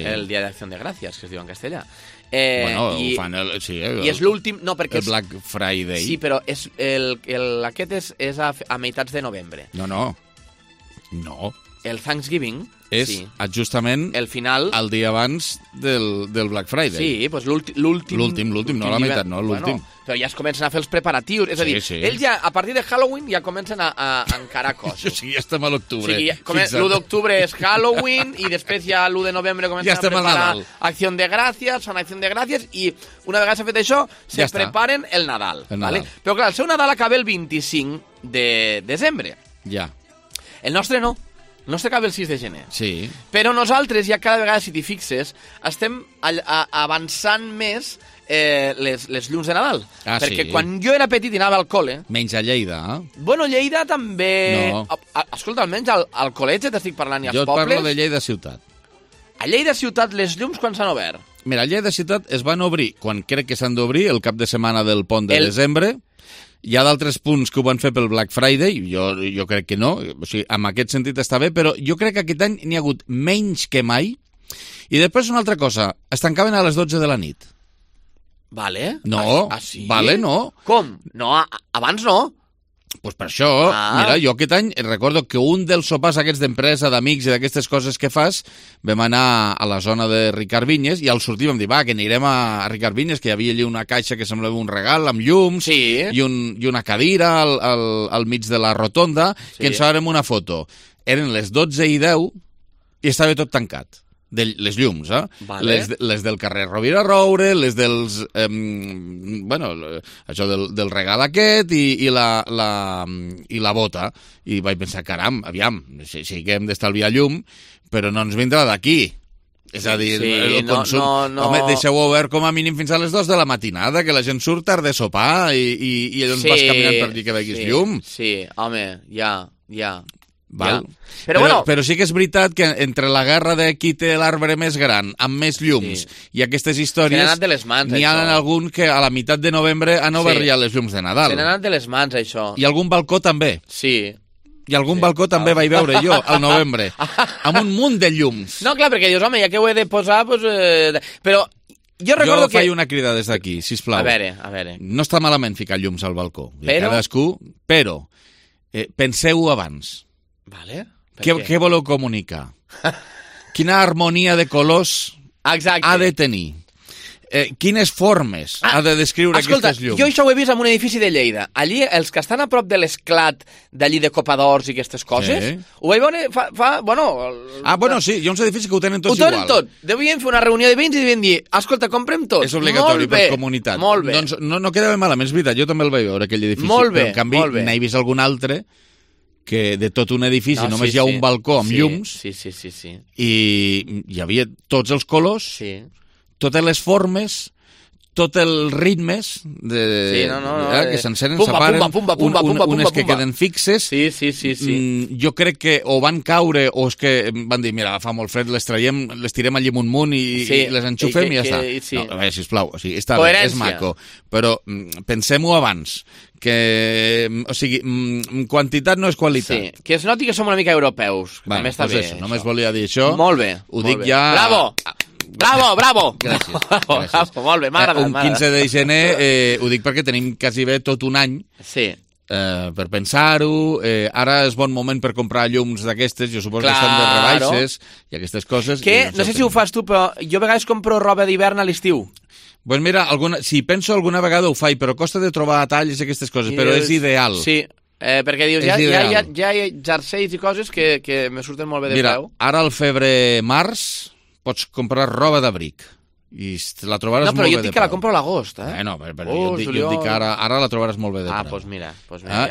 el Dia d'Acció de Gràcies, que es diu en castellà. Ho fan i és l'últim... No, perquè el Black Friday. Sí, però aquest és a meitats de novembre. No. el Thanksgiving és justament el final, el dia abans del Black Friday. Sí, doncs l'últim, no la meitat, no, l'últim. Bueno, però ja es comencen a fer els preparatius, és a dir, ells ja, a partir de Halloween, ja comencen a encarar coses. O sigui, ja estem a l'octubre. L'1 d'octubre és Halloween i després ja l'1 de novembre comencen a preparar Acció de Gràcies, fan Acció de Gràcies i una vegada s'ha fet això, se preparen el Nadal. ¿Vale? Però clar, el seu Nadal acaba el 25 de desembre. Ja. El nostre no. El nostre acaba el 6 de gener. Sí. Però nosaltres, ja cada vegada, si t'hi fixes, estem avançant més les llums de Nadal. Perquè quan jo era petit i anava al col·le... Menys a Lleida, Bueno, Lleida també... No. Escolta, almenys al col·legi t'estic parlant i als pobles... Jo et parlo de Lleida ciutat. A Lleida ciutat les llums quan s'han obert? Mira, a Lleida ciutat es van obrir, quan crec que s'han d'obrir, el cap de setmana del pont de desembre. Hi ha d'altres punts que ho van fer pel Black Friday, jo crec que no, o sigui, en aquest sentit està bé, però jo crec que aquest any n'hi ha hagut menys que mai. I després una altra cosa, es tancaven a les 12 de la nit. Vale. No, sí? Vale, no. Com? No, abans no. Pues per això, mira, jo aquest any recordo que un dels sopars aquests d'empresa, d'amics i d'aquestes coses que fas, vam anar a la zona de Ricard Vinyes i al sortir vam dir, va, que anirem a Ricard Vinyes, que hi havia allà una caixa que semblava un regal amb llums i una cadira al mig de la rotonda, que ens farem una foto. Eren les 12:10 i estava tot tancat. Les llums, Vale. Les del carrer Rovira Roure, les dels... això del regal aquest i la bota. I vaig pensar, caram, aviam, sí que hem d'estalviar llum, però no ens vindrà d'aquí. És a dir, el consum... No. Home, deixeu-ho obert com a mínim fins a les 2 de la matinada, que la gent surt tard de sopar i llavors vas caminant per dir que veguis llum. Sí, home, ja. Val. Però sí que és veritat que entre la guerra de qui té l'arbre més gran, amb més llums, i aquestes històries... Se n'ha anat de les mans, n'hi ha algun que a la meitat de novembre han obert ja les llums de Nadal. Se n'ha anat de les mans, això. I algun balcó també. Sí. I algun balcó també vaig veure jo, al novembre, amb un munt de llums. No, clar, perquè dius, home, ja que ho he de posar, però... Jo recordo que... faig una crida des d'aquí, sisplau. A veure. No està malament ficar llums al balcó. Però... Cadascú, però penseu-ho abans. Vale. Què voleu comunicar? Quina harmonia de colors ha de tenir? Quines formes ha de descriure aquestes llums? Jo això ho he vist en un edifici de Lleida. Allí, els que estan a prop de l'esclat d'allí de Copadors i aquestes coses, ho vaig veure sí, hi ha uns edificis que ho tenen tots igual. Ho tenen tot. Devien fer una reunió de veïns i devien dir, escolta, comprem tot. És obligatori per comunitat. Molt bé. Doncs no quedava malament, és veritat, jo també el vaig veure, aquell edifici. Molt bé, però en canvi n'he vist algun altre que de tot un edifici només hi ha un balcó amb llums i hi havia tots els colors, totes les formes, tots els ritmes que s'encenen, separen, unes que queden fixes. Jo crec que o van caure o és que van dir, mira, fa molt fred, les traiem, les tirem allí amunt i les enxufem i ja està. No, a veure, sisplau, està bé, és maco, però pensem-ho abans, que, o sigui, quantitat no és qualitat. Sí, que es noti que som una mica europeus. També està bé. Només volia dir això. Molt bé. Ho dic ja... Bravo! Gràcies. Molt bé, m'ha agradat. Un 15 de gener, ho dic perquè tenim quasi bé tot un any per pensar-ho. Ara és bon moment per comprar llums d'aquestes, jo suposo que estan de rebaixes i aquestes coses. Que, no sé si ho fas tu, però jo a vegades compro roba d'hivern a l'estiu. Pues mira, si penso alguna vegada ho faig, però costa de trobar talls i aquestes coses, però és ideal. Sí, perquè dius, ja hi ha jerseis i coses que me surten molt bé de preu. Mira, ara al febrer-març pots comprar roba d'abric i la trobaràs molt bé de preu. No, però jo dic que la compro a l'agost, No, però jo dic que ara la trobaràs molt bé de preu. Doncs mira.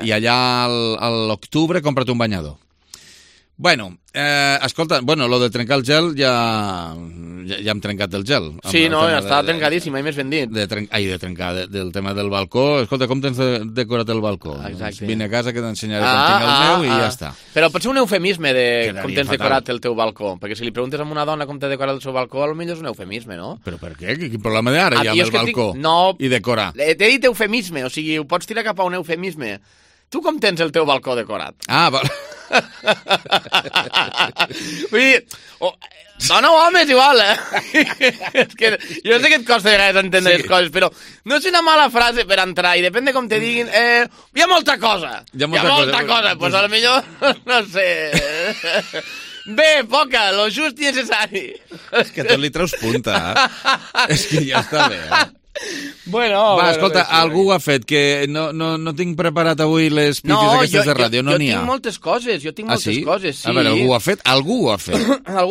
I allà a l'octubre compra't un banyador. Bueno, escolta, lo de trencar el gel ja hem trencat el gel. Sí, no, està trencadíssim, mai més ben dit. De trencar, del tema del balcó. Escolta, com tens decorat el balcó? Exacte. Vine a casa que t'ensenyaré com tinc el meu i ja està. Però pot ser un eufemisme de com tens decorat el teu balcó, perquè si li preguntes a una dona com t'ha decorat el seu balcó, potser és un eufemisme, no? Però per què? Quin problema d'ara hi ha amb el balcó? No, i decorar? T'he dit eufemisme, o sigui, ho pots tirar cap a un eufemisme. tu com tens el teu balcó decorat? Ah, val. Vull dir... Dona o home és igual, És que jo sé que et costa de vegades entendre les coses, però no és una mala frase per entrar, i depèn de com te diguin, hi ha molta cosa. Hi ha molta cosa, pues a lo millor, no sé... Bé, poca, lo just i necessari. És que tot li treus punta, És que ja està bé, Bueno, va, escolta, algú ho ha fet, que no tinc preparat avui les pitis aquestes de ràdio, no n'hi ha. Jo tinc moltes coses, sí. A veure, algú ho ha fet? Algú ho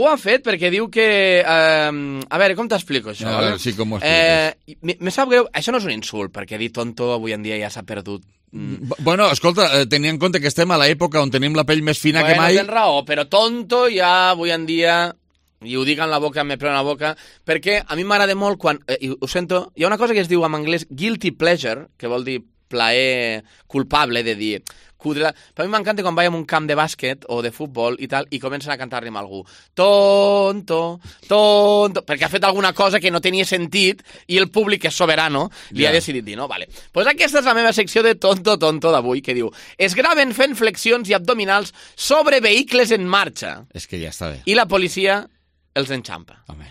ha fet perquè diu que... a veure, com t'explico això? A veure, sí, com ho expliques. Me sap greu, això no és un insult, perquè dir tonto avui en dia ja s'ha perdut. Bueno, escolta, tenint en compte que estem a l'època on tenim la pell més fina que mai... Tens raó, però tonto ja avui en dia... I ho dic en la boca, me pleno la boca, perquè a mi m'agrada molt quan... ho sento, hi ha una cosa que es diu en anglès guilty pleasure, que vol dir plaer culpable, de dir... Però a mi m'encanta quan vaig a un camp de bàsquet o de futbol i tal, i comencen a cantar-li amb algú. Tonto, perquè ha fet alguna cosa que no tenia sentit i el públic és soberano, li ha decidit dir, no? Vale. Pues aquesta és la meva secció de tonto d'avui, que diu: es graven fent flexions i abdominals sobre vehicles en marxa. És que ja està bé. I la policia els enxampa. Home.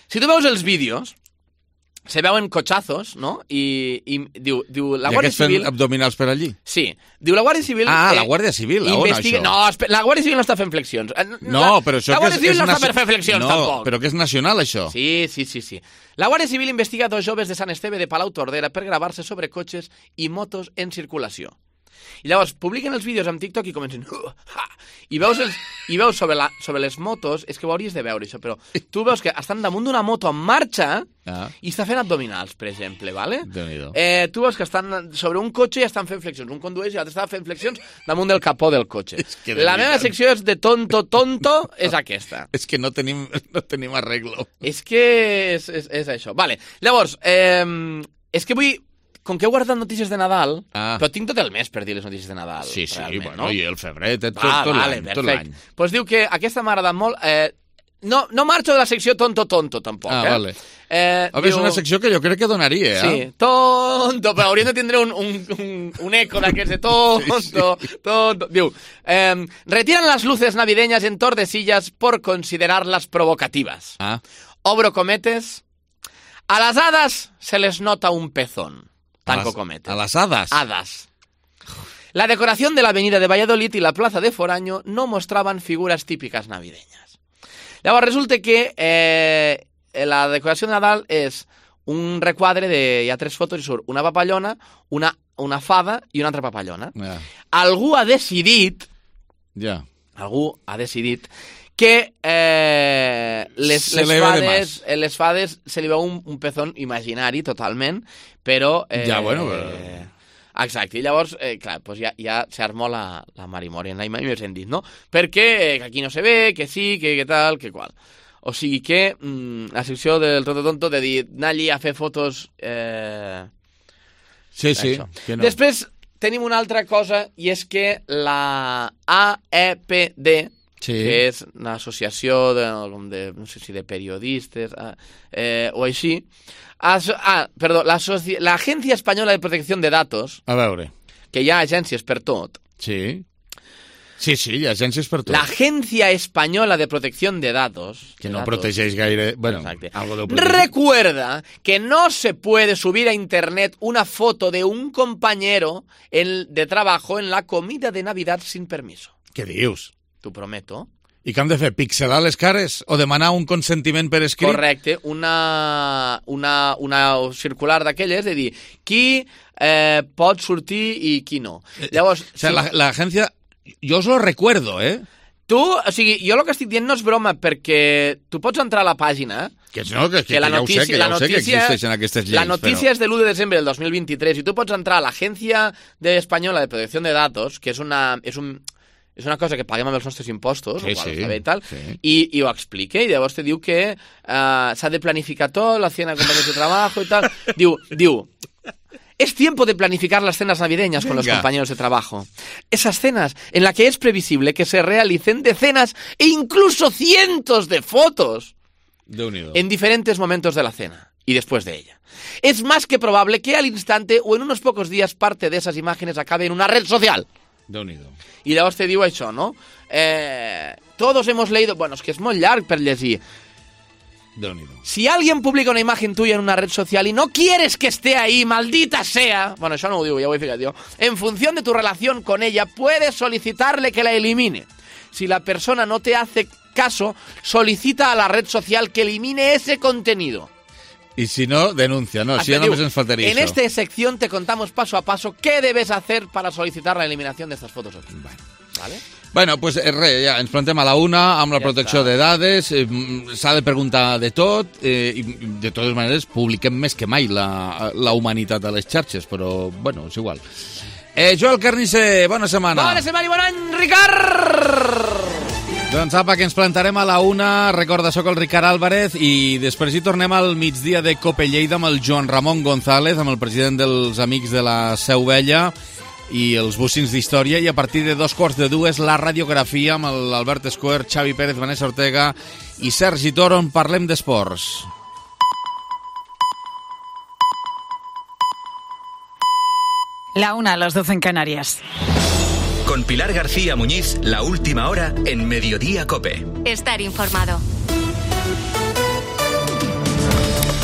Si tu veus els vídeos, se veuen cotxazos, no? I diu la Guàrdia Civil... I aquests fent abdominals per allí? Sí. Diu la Guàrdia Civil... la Guàrdia Civil, on això? No, la Guàrdia Civil no està fent flexions. No, però això... La Guàrdia Civil no està per fer flexions, tampoc. No, però que és nacional, això. Sí. La Guàrdia Civil investiga 2 joves de Sant Esteve de Palau-Tordera per gravar-se sobre cotxes i motos en circulació. I llavors publiquen els vídeos amb TikTok i comencen... I veus sobre les motos, és que ho hauries de veure, això, però tu veus que estan damunt d'una moto en marxa i està fent abdominals, per exemple, ¿vale? Tu veus que estan sobre un cotxe i estan fent flexions. Un condueix i l'altre està fent flexions damunt del capó del cotxe. La meva secció és de tonto, és aquesta. És que no tenim arreglo. És que és això. Vale, llavors, és que vull... Com que he guardat notícies de Nadal, però tinc tot el mes per dir les notícies de Nadal. Sí, bueno, i el febrer, tot l'any. Doncs diu que aquesta m'ha agradat molt. No marxo de la secció tonto, tampoc. Vale. A veure, és una secció que jo crec que donaria, Sí, tonto, però hauríem de tindre un eco d'aquests de tonto. Diu, retiran las luces navideñas en Tordesillas por considerarlas provocativas. Obro cometes. A las hadas se les nota un pezón. Tanco cometes. ¿A las hadas? Hadas. La decoración de la avenida de Valladolid y la plaza de Foraño no mostraban figuras típicas navideñas. Llavors resulta que la decoració de Nadal és un requadre hi ha 3 fotos i surt una papallona, una fada i una altra papallona. Algú ha decidit que les fades se li veu un pezón imaginari totalment, però... Exacte, i llavors, clar, doncs ja s'armó la marimòria, mai més hem dit, no? Perquè aquí no se ve, que sí, que tal, que qual. O sigui que la secció del tonto de dir, anar allí a fer fotos... Sí. Que no. Després tenim una altra cosa, i és que la AEPD, que és l'associació no sé si de periodistes o així, perdó, l'Agència Espanyola de Protecció de Datos, a veure, que hi ha agències per tot. Sí, hi ha agències per tot. L'Agència Espanyola de Protecció de Datos, que no protegeix gaire, bueno, recuerda que no se puede subir a internet una foto de un compañero de trabajo en la comida de Navidad sin permiso. Què dius? T'ho prometo. I què hem de fer? Pixelar les cares? O demanar un consentiment per escrit? Correcte. Una circular d'aquelles de dir qui pot sortir i qui no. Llavors... O sigui, l'agència... Jo us lo recuerdo, Tu, o sigui, jo el que estic dient no és broma, perquè tu pots entrar a la pàgina... Que ja ho sé que existeixen aquestes lleis. La notícia és de l'1 de desembre del 2023 i tu pots entrar a l'Agència Espanyola de Protecció de Datos, que és una cosa que paguem amb els nostres impostos, i ho explica, i llavors te diu que s'ha de planificar tot, la cena de compañeros de trabajo i tal. Diu, es tiempo de planificar las cenas navideñas con los compañeros de trabajo. Esas cenas en las que es previsible que se realicen decenas e incluso cientos de fotos en diferentes momentos de la cena. y después de ella. Es más que probable que al instante o en unos pocos días parte de esas imágenes acabe en una red social. Déu-n'hi-do. I llavors te diu això, no? Todos hemos leído... Bueno, és que és molt llarg per llegir. Déu-n'hi-do. Si alguien publica una imagen tuya en una red social y no quieres que esté ahí, maldita sea... Bueno, això no ho diu, ja ho he ficat jo. En función de tu relación con ella, puedes solicitarle que la elimine. Si la persona no te hace caso, solicita a la red social que elimine ese contenido. Y si no, denuncia, ¿no? Si ya només ens faltaria en esta sección te contamos paso a paso qué debes hacer para solicitar la eliminación de estas fotos. ¿Vale? Bueno, pues res, ja ens plantem a la una amb la protecció de dades, s'ha de preguntar de tot, i de totes maneres publiquem més que mai la humanitat a les xarxes, però bueno, és igual. Joel Carnicer, bona setmana. Bona setmana i bon any, Ricard! Doncs apa, que ens plantarem a la una. Recorda, sóc el Ricard Álvarez i després hi tornem al migdia de Cope Lleida amb el Joan Ramon González, amb el president dels Amics de la Seu Vella i els bocins d'història, i a partir de 2:45 la radiografia amb l'Albert Escuer, Xavi Pérez, Vanessa Ortega i Sergi Toro, on parlem d'esports. La una a las 12 en Canarias. Con Pilar García Muñiz, la última hora en Mediodía COPE. Estar informado.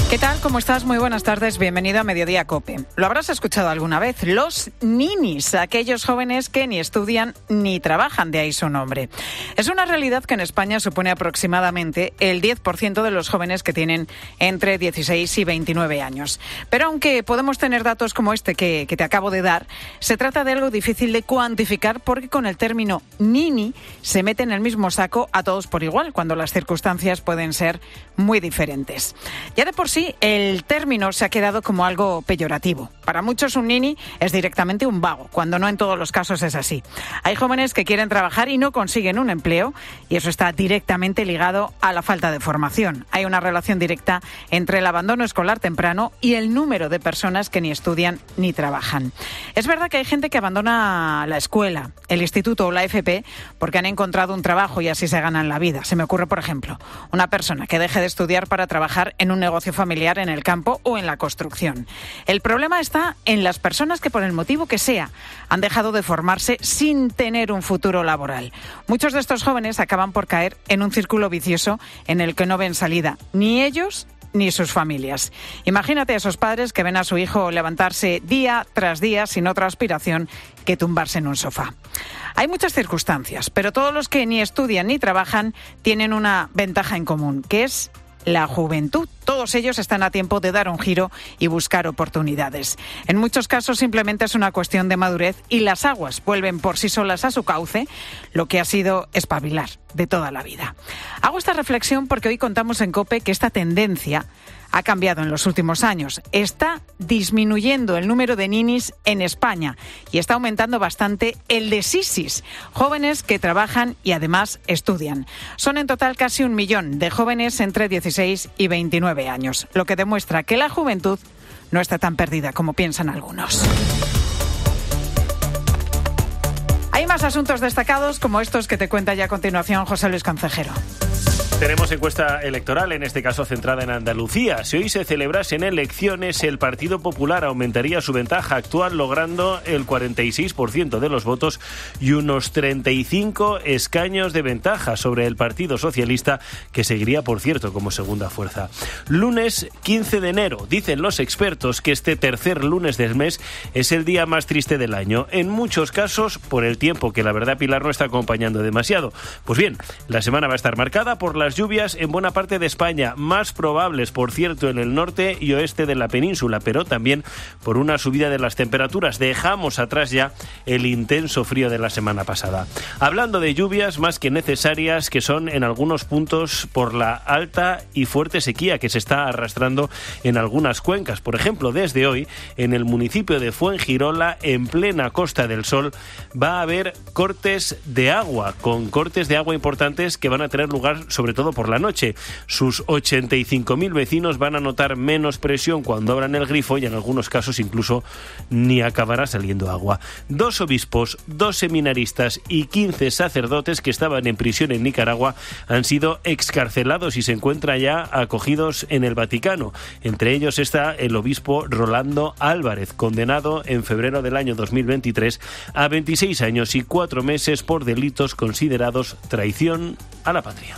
¿Qué tal? ¿Cómo estás? Muy buenas tardes. Bienvenido a Mediodía COPE. Lo habrás escuchado alguna vez. Los ninis, aquellos jóvenes que ni estudian ni trabajan, de ahí su nombre. Es una realidad que en España supone aproximadamente el 10% de los jóvenes que tienen entre 16 y 29 años. Pero aunque podemos tener datos como este que te acabo de dar, se trata de algo difícil de cuantificar porque con el término nini se mete en el mismo saco a todos por igual, cuando las circunstancias pueden ser muy diferentes. Ya de por sí, el término se ha quedado como algo peyorativo. Para muchos un nini es directamente un vago, cuando no en todos los casos es así. Hay jóvenes que quieren trabajar y no consiguen un empleo, y eso está directamente ligado a la falta de formación. Hay una relación directa entre el abandono escolar temprano y el número de personas que ni estudian ni trabajan. Es verdad que hay gente que abandona la escuela, el instituto o la FP porque han encontrado un trabajo y así se ganan la vida. Se me ocurre, por ejemplo, una persona que deje de estudiar para trabajar en un negocio familiar en el campo o en la construcción. El problema está en las personas que, por el motivo que sea, han dejado de formarse sin tener un futuro laboral. Muchos de estos jóvenes acaban por caer en un círculo vicioso en el que no ven salida ni ellos ni sus familias. Imagínate a esos padres que ven a su hijo levantarse día tras día sin otra aspiración que tumbarse en un sofá. Hay muchas circunstancias, pero todos los que ni estudian ni trabajan tienen una ventaja en común, que es la juventud. Todos ellos están a tiempo de dar un giro y buscar oportunidades. En muchos casos simplemente es una cuestión de madurez y las aguas vuelven por sí solas a su cauce, lo que ha sido espabilar de toda la vida. Hago esta reflexión porque hoy contamos en COPE que esta tendencia ha cambiado en los últimos años. Está disminuyendo el número de ninis en España y está aumentando bastante el de sisis, jóvenes que trabajan y además estudian. Son en total casi 1 millón de jóvenes entre 16 y 29 años, lo que demuestra que la juventud no está tan perdida como piensan algunos. Hay más asuntos destacados como estos que te cuenta ya a continuación José Luis Concejero. Tenemos encuesta electoral, en este caso centrada en Andalucía. Si hoy se celebrasen elecciones, el Partido Popular aumentaría su ventaja actual, logrando el 46% de los votos y unos 35 escaños de ventaja sobre el Partido Socialista, que seguiría, por cierto, como segunda fuerza. Lunes 15 de enero. Dicen los expertos que este tercer lunes del mes es el día más triste del año. En muchos casos, por el tiempo que la verdad, Pilar, no está acompañando demasiado. Pues bien, la semana va a estar marcada por las lluvias en buena parte de España, más probables, por cierto, en el norte y oeste de la península, pero también por una subida de las temperaturas. Dejamos atrás ya el intenso frío de la semana pasada. Hablando de lluvias más que necesarias, que son en algunos puntos por la alta y fuerte sequía que se está arrastrando en algunas cuencas. Por ejemplo, desde hoy, en el municipio de Fuengirola, en plena Costa del Sol, va a haber cortes de agua, con cortes de agua importantes que van a tener lugar sobre todo todo por la noche. Sus 85.000 vecinos van a notar menos presión cuando abran el grifo y en algunos casos incluso ni acabará saliendo agua. 2 obispos, 2 seminaristas y 15 sacerdotes que estaban en prisión en Nicaragua han sido excarcelados y se encuentran ya acogidos en el Vaticano. Entre ellos está el obispo Rolando Álvarez, condenado en febrero del año 2023 a 26 años y 4 meses por delitos considerados traición a la patria.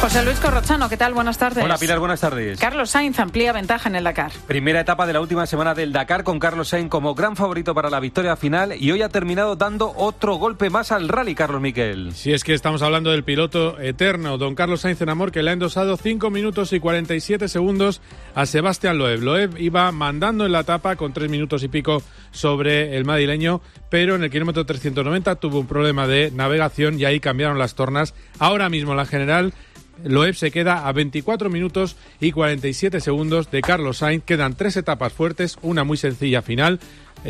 José Luis Corrochano, ¿qué tal? Buenas tardes. Hola Pilar, buenas tardes. Carlos Sainz amplía ventaja en el Dakar. Primera etapa de la última semana del Dakar con Carlos Sainz como gran favorito para la victoria final y hoy ha terminado dando otro golpe más al rally, Carlos Miquel. Sí, es que estamos hablando del piloto eterno, don Carlos Sainz en Amor, que le ha endosado 5 minutos y 47 segundos a Sebastián Loeb. Loeb iba mandando en la etapa con 3 minutos y pico sobre el madrileño, pero en el kilómetro 390 tuvo un problema de navegación y ahí cambiaron las tornas. Ahora mismo la general Loeb se queda a 24 minutos y 47 segundos de Carlos Sainz. Quedan 3 etapas fuertes, una muy sencilla final.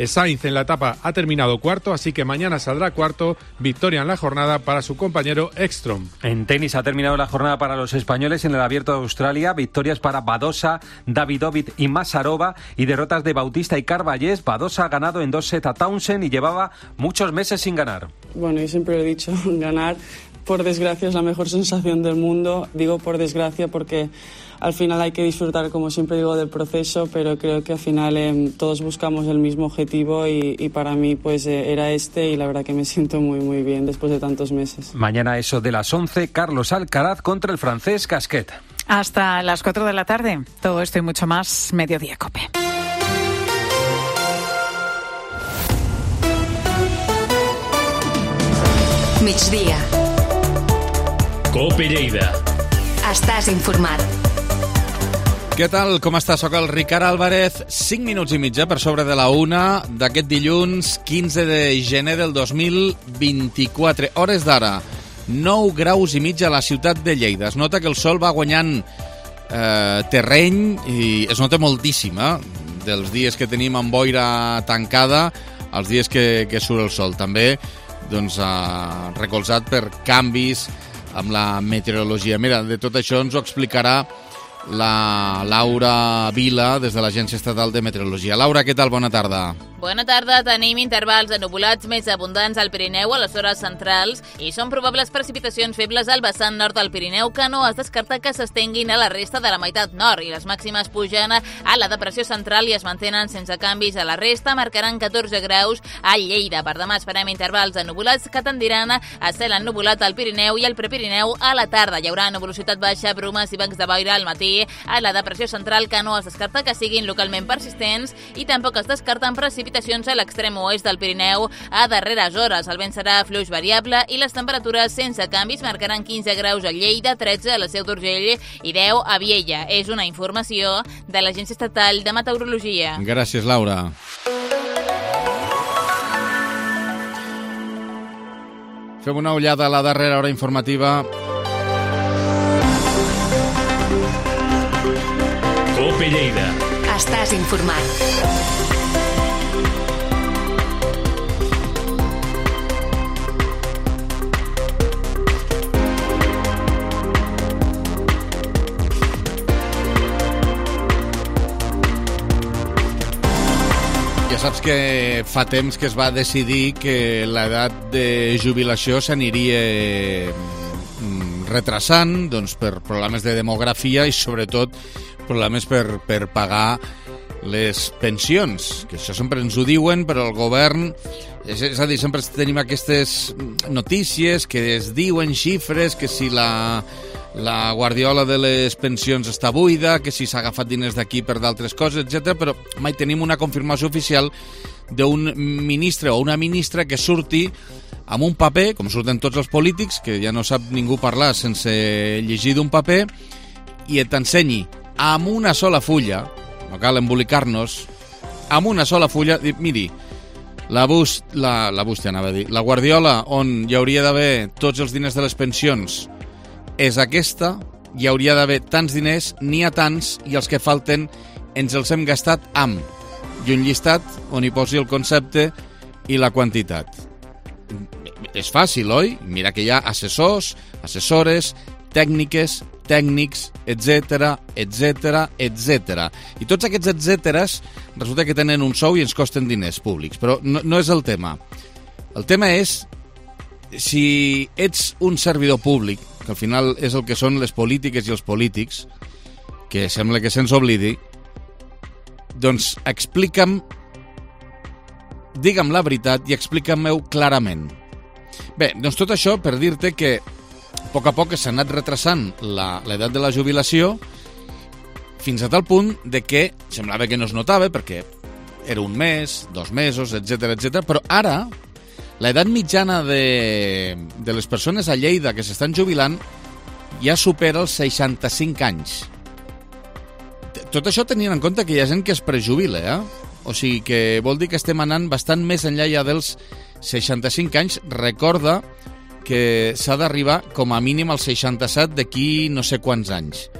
Sainz en la etapa ha terminado cuarto, así que mañana saldrá cuarto. Victoria en la jornada para su compañero Ekstrom. En tenis ha terminado la jornada para los españoles en el Abierto de Australia. Victorias para Badosa, Davidovich y Masarova y derrotas de Bautista y Carballés. Badosa ha ganado en 2 sets a Townsend y llevaba muchos meses sin ganar. Bueno, yo siempre lo he dicho, ganar por desgracia es la mejor sensación del mundo. Digo por desgracia porque al final hay que disfrutar, como siempre digo, del proceso, pero creo que al final todos buscamos el mismo objetivo y para mí pues era este, y la verdad que me siento muy muy bien después de tantos meses. Mañana eso de las 11, Carlos Alcaraz contra el francés Gasquet. Hasta las 4 de la tarde. Todo esto y mucho más, Mediodía Cope. Migdia. Cope Lleida. Estàs informat. Què tal? Com està? Soc el Ricard Álvarez. 5 minuts i mitja per sobre de la 1 d'aquest dilluns 15 de gener del 2024. Hores d'ara, 9 graus i mig a la ciutat de Lleida. Es nota que el sol va guanyant terreny i es nota moltíssim, dels dies que tenim amb boira tancada als dies que surt el sol. També doncs, recolzat per canvis amb la meteorologia. Mira, de tot això ens ho explicarà la Laura Vila des de l'Agència Estatal de Meteorologia. Laura, què tal? Bona tarda. Bona tarda. Tenim intervals de nuvolats més abundants al Pirineu a les hores centrals i són probables precipitacions febles al vessant nord del Pirineu que no es descarta que s'estenguin a la resta de la meitat nord, i les màximes pugen a la depressió central i es mantenen sense canvis a la resta. Marcaran 14 graus a Lleida. Per demà esperem intervals de nuvolats que tendiran a cel ennuvolat al Pirineu i al Prepirineu a la tarda. Hi haurà nuvolositat baixa, brumes i bancs de boira al matí a la depressió central, que no es descarta que siguin localment persistents, i tampoc es descarten precipitacions a l'extrem oest del Pirineu a darreres hores. El vent serà fluix variable i les temperatures sense canvis. Marcaran 15 graus a Lleida, 13 a la Seu d'Urgell i 10 a Viella. És una informació de l'Agència Estatal de Meteorologia. Gràcies, Laura. Fem una ullada a la darrera hora informativa. Cope Lleida. Estàs informat. Ja saps que fa temps que es va decidir que l'edat de jubilació s'aniria retrasant, doncs, per problemes de demografia i sobretot problemes per pagar les pensions, que això sempre ens ho diuen, però el govern, és a dir, sempre tenim aquestes notícies que es diuen xifres, que si la guardiola de les pensions està buida, que si s'ha agafat diners d'aquí per d'altres coses, etc. Però mai tenim una confirmació oficial d'un ministre o una ministra que surti amb un paper, com surten tots els polítics, que ja no sap ningú parlar sense llegir d'un paper, i t'ensenyi amb una sola fulla, no cal embolicar-nos, amb una sola fulla, miri, la guardiola on hi hauria d'haver tots els diners de les pensions és aquesta, hi hauria d'haver tants diners, n'hi ha tants, i els que falten ens els hem gastat amb, i un llistat on hi posi el concepte i la quantitat. és fàcil, oi? Mira que hi ha assessors, assessores, tècnics, etc. I tots aquests etcèteres resulta que tenen un sou i ens costen diners públics, però no és el tema. El tema és si ets un servidor públic, que al final és el que són les polítiques i els polítics, que sembla que se'ns oblidi, doncs explica'm, digue'm la veritat i explica-m'ho clarament. Bé, doncs tot això per dir-te que a poc s'ha anat retrasant l'edat de la jubilació fins a tal punt de que semblava que no es notava perquè era un mes, 2 mesos, etc. Però ara l'edat mitjana de les persones a Lleida que s'estan jubilant ja supera els 65 anys. Tot això tenint en compte que hi ha gent que es prejubila, O sigui que vol dir que estem anant bastant més enllà ja dels 65 anys. Recorda que s'ha d'arribar com a mínim als 67 d'aquí no sé quants anys.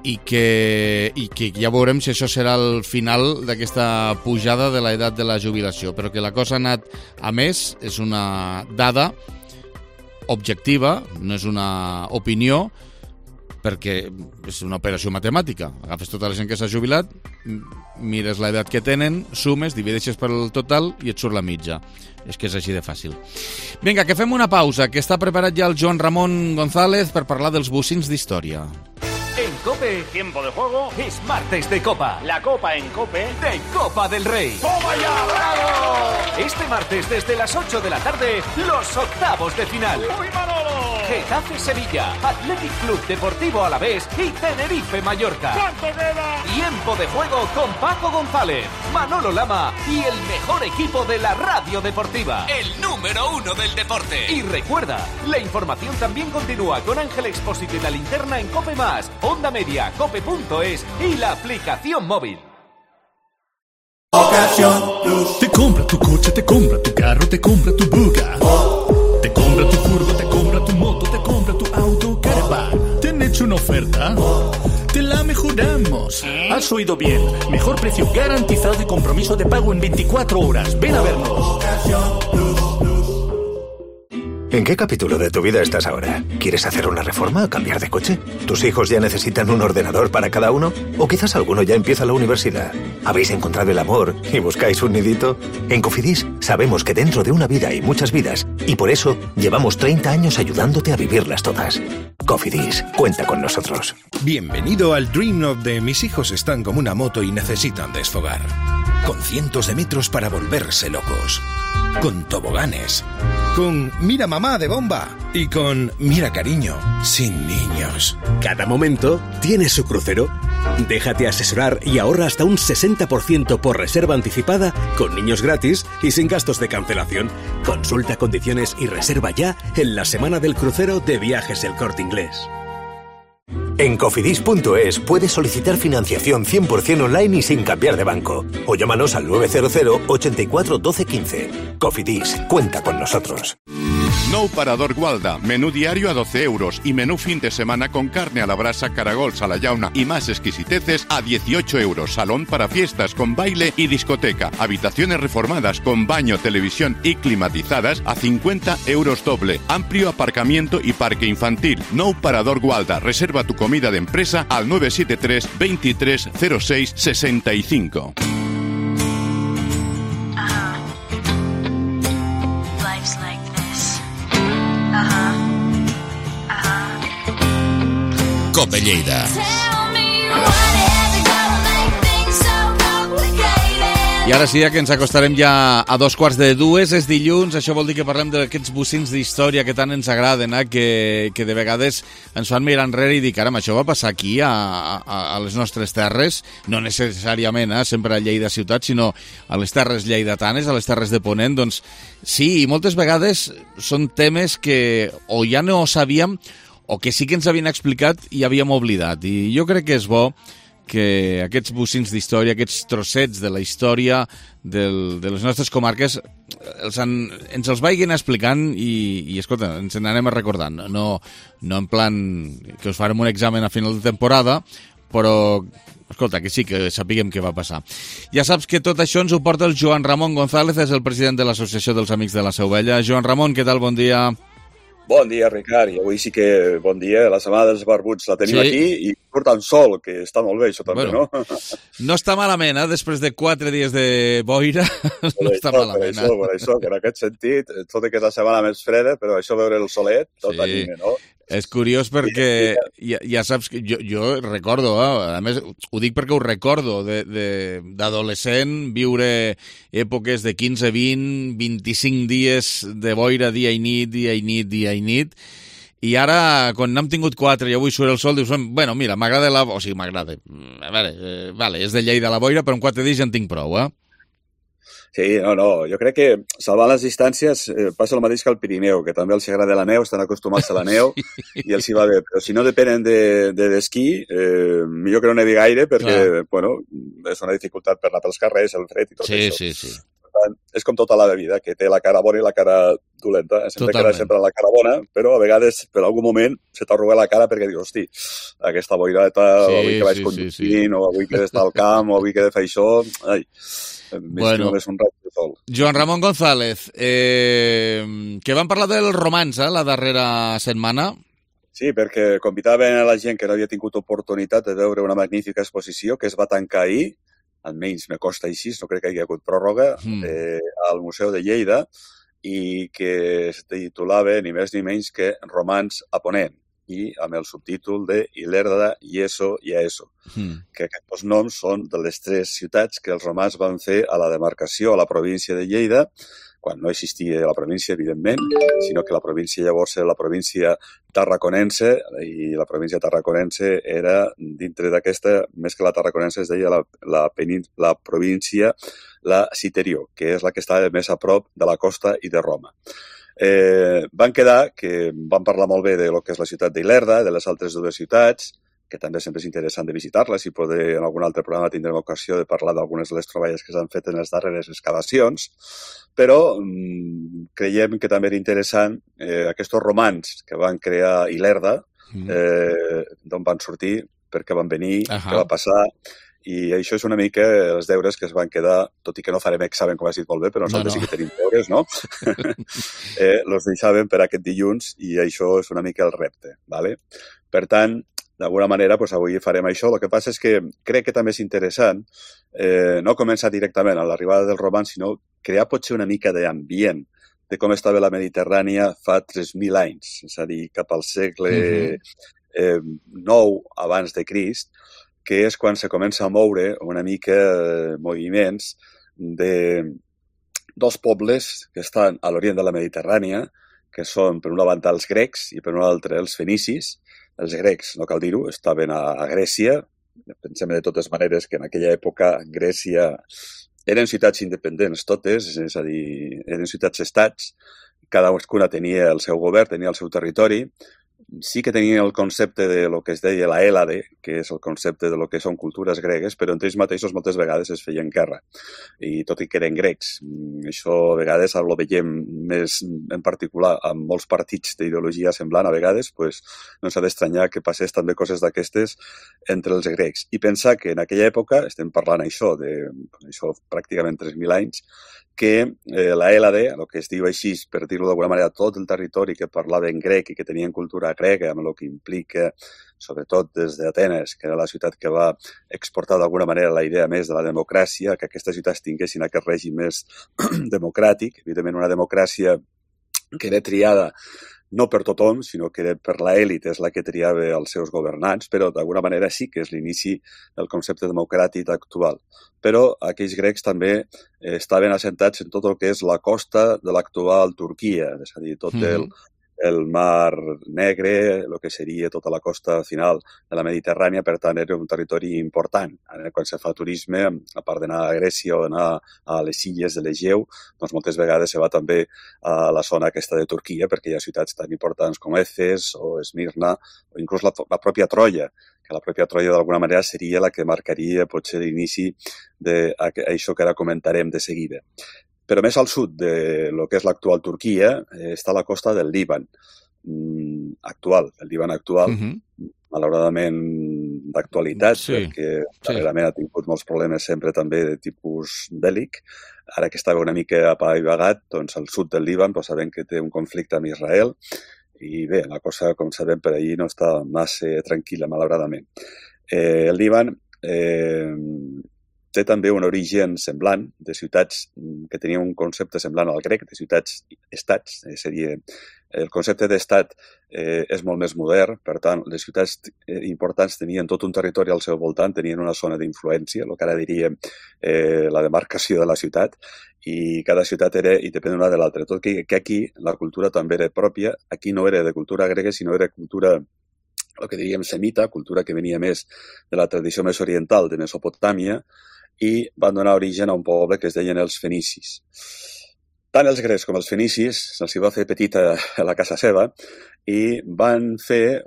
I que ja veurem si això serà el final d'aquesta pujada de l'edat de la jubilació. Però que la cosa ha anat a més, és una dada objectiva, no és una opinió, perquè és una operació matemàtica. Agafes tota la gent que s'ha jubilat, mires l'edat que tenen, sumes, divideixes per el total i et surt la mitja. És que és així de fàcil. Vinga, que fem una pausa, que està preparat ja el Joan Ramon González per parlar dels bocins d'història. En COPE, tiempo de juego, es martes de Copa. La Copa en COPE de Copa del Rey. ¡Toma ya, bravo! Este martes desde las 8 de la tarde, los octavos de final. ¡Uy, Manolo! Getafe-Sevilla, Athletic Club Deportivo Alavés y Tenerife-Mallorca. ¿Cuánto queda? Tiempo de juego con Paco González, Manolo Lama y el mejor equipo de la radio deportiva. El número 1 del deporte. Y recuerda, la información también continúa con Ángel Expósito y la linterna en COPE+, Onda Media, cope.es y la aplicación móvil. Ocasión Plus. Te compra tu coche, te compra tu carro, te compra tu buga. Te compra tu furgo, te compra tu moto, te compra tu auto, caravan. ¿Te han hecho una oferta? Te la mejoramos. Has oído bien. Mejor precio garantizado y compromiso de pago en 24 horas. Ven a vernos. Ocasión Plus. ¿En qué capítulo de tu vida estás ahora? ¿Quieres hacer una reforma o cambiar de coche? ¿Tus hijos ya necesitan un ordenador para cada uno? ¿O quizás alguno ya empieza la universidad? ¿Habéis encontrado el amor y buscáis un nidito? En Cofidis sabemos que dentro de una vida hay muchas vidas y por eso llevamos 30 años ayudándote a vivirlas todas. Cofidis, cuenta con nosotros. Bienvenido al Dream of de mis hijos están como una moto y necesitan desfogar. Con cientos de metros para volverse locos. Con toboganes. Con mira mamá de bomba. Y con mira cariño, sin niños. Cada momento tiene su crucero. Déjate asesorar y ahorra hasta un 60% por reserva anticipada, con niños gratis y sin gastos de cancelación. Consulta condiciones y reserva ya en la semana del crucero de Viajes El Corte Inglés. En Cofidis.es puedes solicitar financiación 100% online y sin cambiar de banco. O llámanos al 900 84 12 15. Cofidis, cuenta con nosotros. Nou Parador Gualda, menú diario a 12 euros y menú fin de semana con carne a la brasa, caragols a la llauna y más exquisiteces a 18 euros. Salón para fiestas con baile y discoteca. Habitaciones reformadas con baño, televisión y climatizadas a 50 euros doble. Amplio aparcamiento y parque infantil. Nou Parador Gualda. Reserva tu comida de empresa al 973 23 06 65. COPE Lleida. I ara sí que ens acostarem ja a 2:45, és dilluns, això vol dir que parlem d'aquests bocins d'història que tant ens agraden, que de vegades ens fan mirar enrere i dir, caram, això va passar aquí, a les nostres terres, no necessàriament sempre a Lleida ciutat, sinó a les terres lleidatanes, a les terres de Ponent, doncs sí, i moltes vegades són temes que o ja no sabíem o que sí que ens havien explicat i havíem oblidat, i jo crec que és bo que aquests bocins d'història, aquests trossets de la història de les nostres comarques ens els vagin explicant i escolta, ens n'anem recordant. No en plan que us farem un examen a final de temporada, però escolta, que sí, que sapiguem què va passar. Ja saps que tot això ens ho porta el Joan Ramon González, és el president de l'Associació dels Amics de la Seu Vella. Joan Ramon, què tal? Bon dia. Bon dia, Ricard, i avui sí que bon dia, la setmana dels barbuts la tenim aquí i surt en sol, que està molt bé, això també, no? No està malament, després de 4 dies de boira, no està malament. Per això, que en aquest sentit, tot i que és la setmana més freda, però això veure el solet, tot anima, no? És curiós perquè ja saps que jo recordo, a més ho dic perquè ho recordo, d'adolescent viure èpoques de 15, 20, 25 dies de boira dia i nit, i ara, quan n'hem tingut 4 i avui surt el sol, dius, bueno, mira, m'agrada o sigui, m'agrada, a veure, vale, és de Lleida la boira, però en 4 dies ja en tinc prou, Sí, no, jo crec que salvant les distàncies passa el mateix que al Pirineu, que també els agrada la neu, estan acostumats a la neu i els hi va bé, però si no depenen d'esquí, millor que no nevi gaire perquè, bueno, és una dificultat per anar pels carrers, el fred i tot això. Sí. Per tant, és com tota la vida, que té la cara bona i la cara dolenta. Sempre queda sempre la cara bona, però a vegades, per algun moment, se t'arruga la cara perquè dius, hosti, aquesta boireta, avui que vaig conduint, o avui que he d'estar al camp, o avui que he de fer això... Ai, bueno, Joan Ramon González, que vam parlar del romanç la darrera setmana. Sí, perquè convidaven a la gent que no havia tingut oportunitat de veure una magnífica exposició que es va tancar ahir, almenys me costa així, no crec que hi hagi hagut pròrroga, al Museu de Lleida, i que es titulava ni més ni menys que Romanç a Ponent, i amb el subtítol de Ilerda, Yeso i Aeso, que aquests noms són de les 3 ciutats que els romans van fer a la demarcació, a la província de Lleida, quan no existia la província, evidentment, sinó que la província llavors era la província tarraconense, i la província tarraconense era, dintre d'aquesta, més que la tarraconense, es deia la província, la Citerior, que és la que estava més a prop de la costa i de Roma. Van quedar que van parlar molt bé de lo que és la ciutat d'Ilerda, de les altres 2 ciutats, que també sempre és interessant de visitar-les i poder en algun altre programa tindrem ocasió de parlar d'algunes de les troballes que s'han fet en les darreres excavacions, però creiem que també era interessant aquests romans que van crear Ilerda, d'on van sortir, per què van venir, què va passar... I això és una mica els deures que es van quedar, tot i que no farem examen, com has dit molt bé, però nosaltres sí que tenim deures, no? Els deixàvem per aquest dilluns i això és una mica el repte, ¿vale? Per tant, d'alguna manera, avui farem això. El que passa és que crec que també és interessant no començar directament a l'arribada dels romans, sinó crear potser una mica d'ambient de com estava la Mediterrània fa 3.000 anys, és a dir, cap al segle IX abans de Crist, que és quan se comença a moure una mica moviments de 2 pobles que estan a l'orient de la Mediterrània, que són, per una banda, els grecs i per una altra, els fenicis. Els grecs, no cal dir-ho, estaven a Grècia. Pensem de totes maneres que en aquella època Grècia eren ciutats independents totes, és a dir, eren ciutats-estats. Cadascuna tenia el seu govern, tenia el seu territori. Sí que tenien el concepte de lo que es deia la Hèlade, que és el concepte de lo que són cultures gregues, però entre ells mateixos moltes vegades es feien guerra, i tot i que eren grecs. Això a vegades ho veiem més en particular amb molts partits d'ideologia semblant, a vegades no s'ha d'estranyar que passés també coses d'aquestes entre els grecs. I pensar que en aquella època, estem parlant això pràcticament 3.000 anys, que la Hèlade, el que es diu així, per dir-ho d'alguna manera, tot el territori que parlava en grec i que tenien cultura grega, amb el que implica, sobretot des d'Atenes, que era la ciutat que va exportar d'alguna manera la idea més de la democràcia, que aquestes ciutats tinguessin aquest règim més democràtic, evidentment una democràcia que era triada no per tothom, sinó que per l'elit és la que triava els seus governants, però d'alguna manera sí que és l'inici del concepte democràtic actual. Però aquells grecs també estaven assentats en tot el que és la costa de l'actual Turquia, és a dir, tot el Mar Negre, el que seria tota la costa final de la Mediterrània, per tant era un territori important. Quan se fa turisme, a part d'anar a Grècia o d'anar a les illes de l'Egeu, doncs moltes vegades se va també a la zona aquesta de Turquia, perquè hi ha ciutats tan importants com Efes o Esmirna, o inclús la pròpia Troia, que la pròpia Troia d'alguna manera seria la que marcaria potser l'inici d'això que ara comentarem de seguida. Però més al sud de lo que és l'actual Turquia està la costa del Líban actual. El Líban actual, malauradament, d'actualitat, perquè darrerament ha tingut molts problemes sempre també de tipus bèl·lic. Ara que estava una mica apaivagat, doncs al sud del Líban sabem que té un conflicte amb Israel i bé, la cosa, com sabem, per allí no està massa tranquil·la, malauradament. El Líban té també un origen semblant de ciutats que tenien un concepte semblant al grec, de ciutats-estats. El concepte d'estat és molt més modern, per tant, les ciutats importants tenien tot un territori al seu voltant, tenien una zona d'influència, el que ara diríem la demarcació de la ciutat, i cada ciutat era independent una de l'altra. Tot que aquí la cultura també era pròpia, aquí no era de cultura grega, sinó era cultura, el que diríem semita, cultura que venia més de la tradició més oriental de Mesopotàmia, i van donar origen a un poble que es deien els fenicis. Tant els grecs com els fenicis se'ls va fer petita a la casa seva i van fer,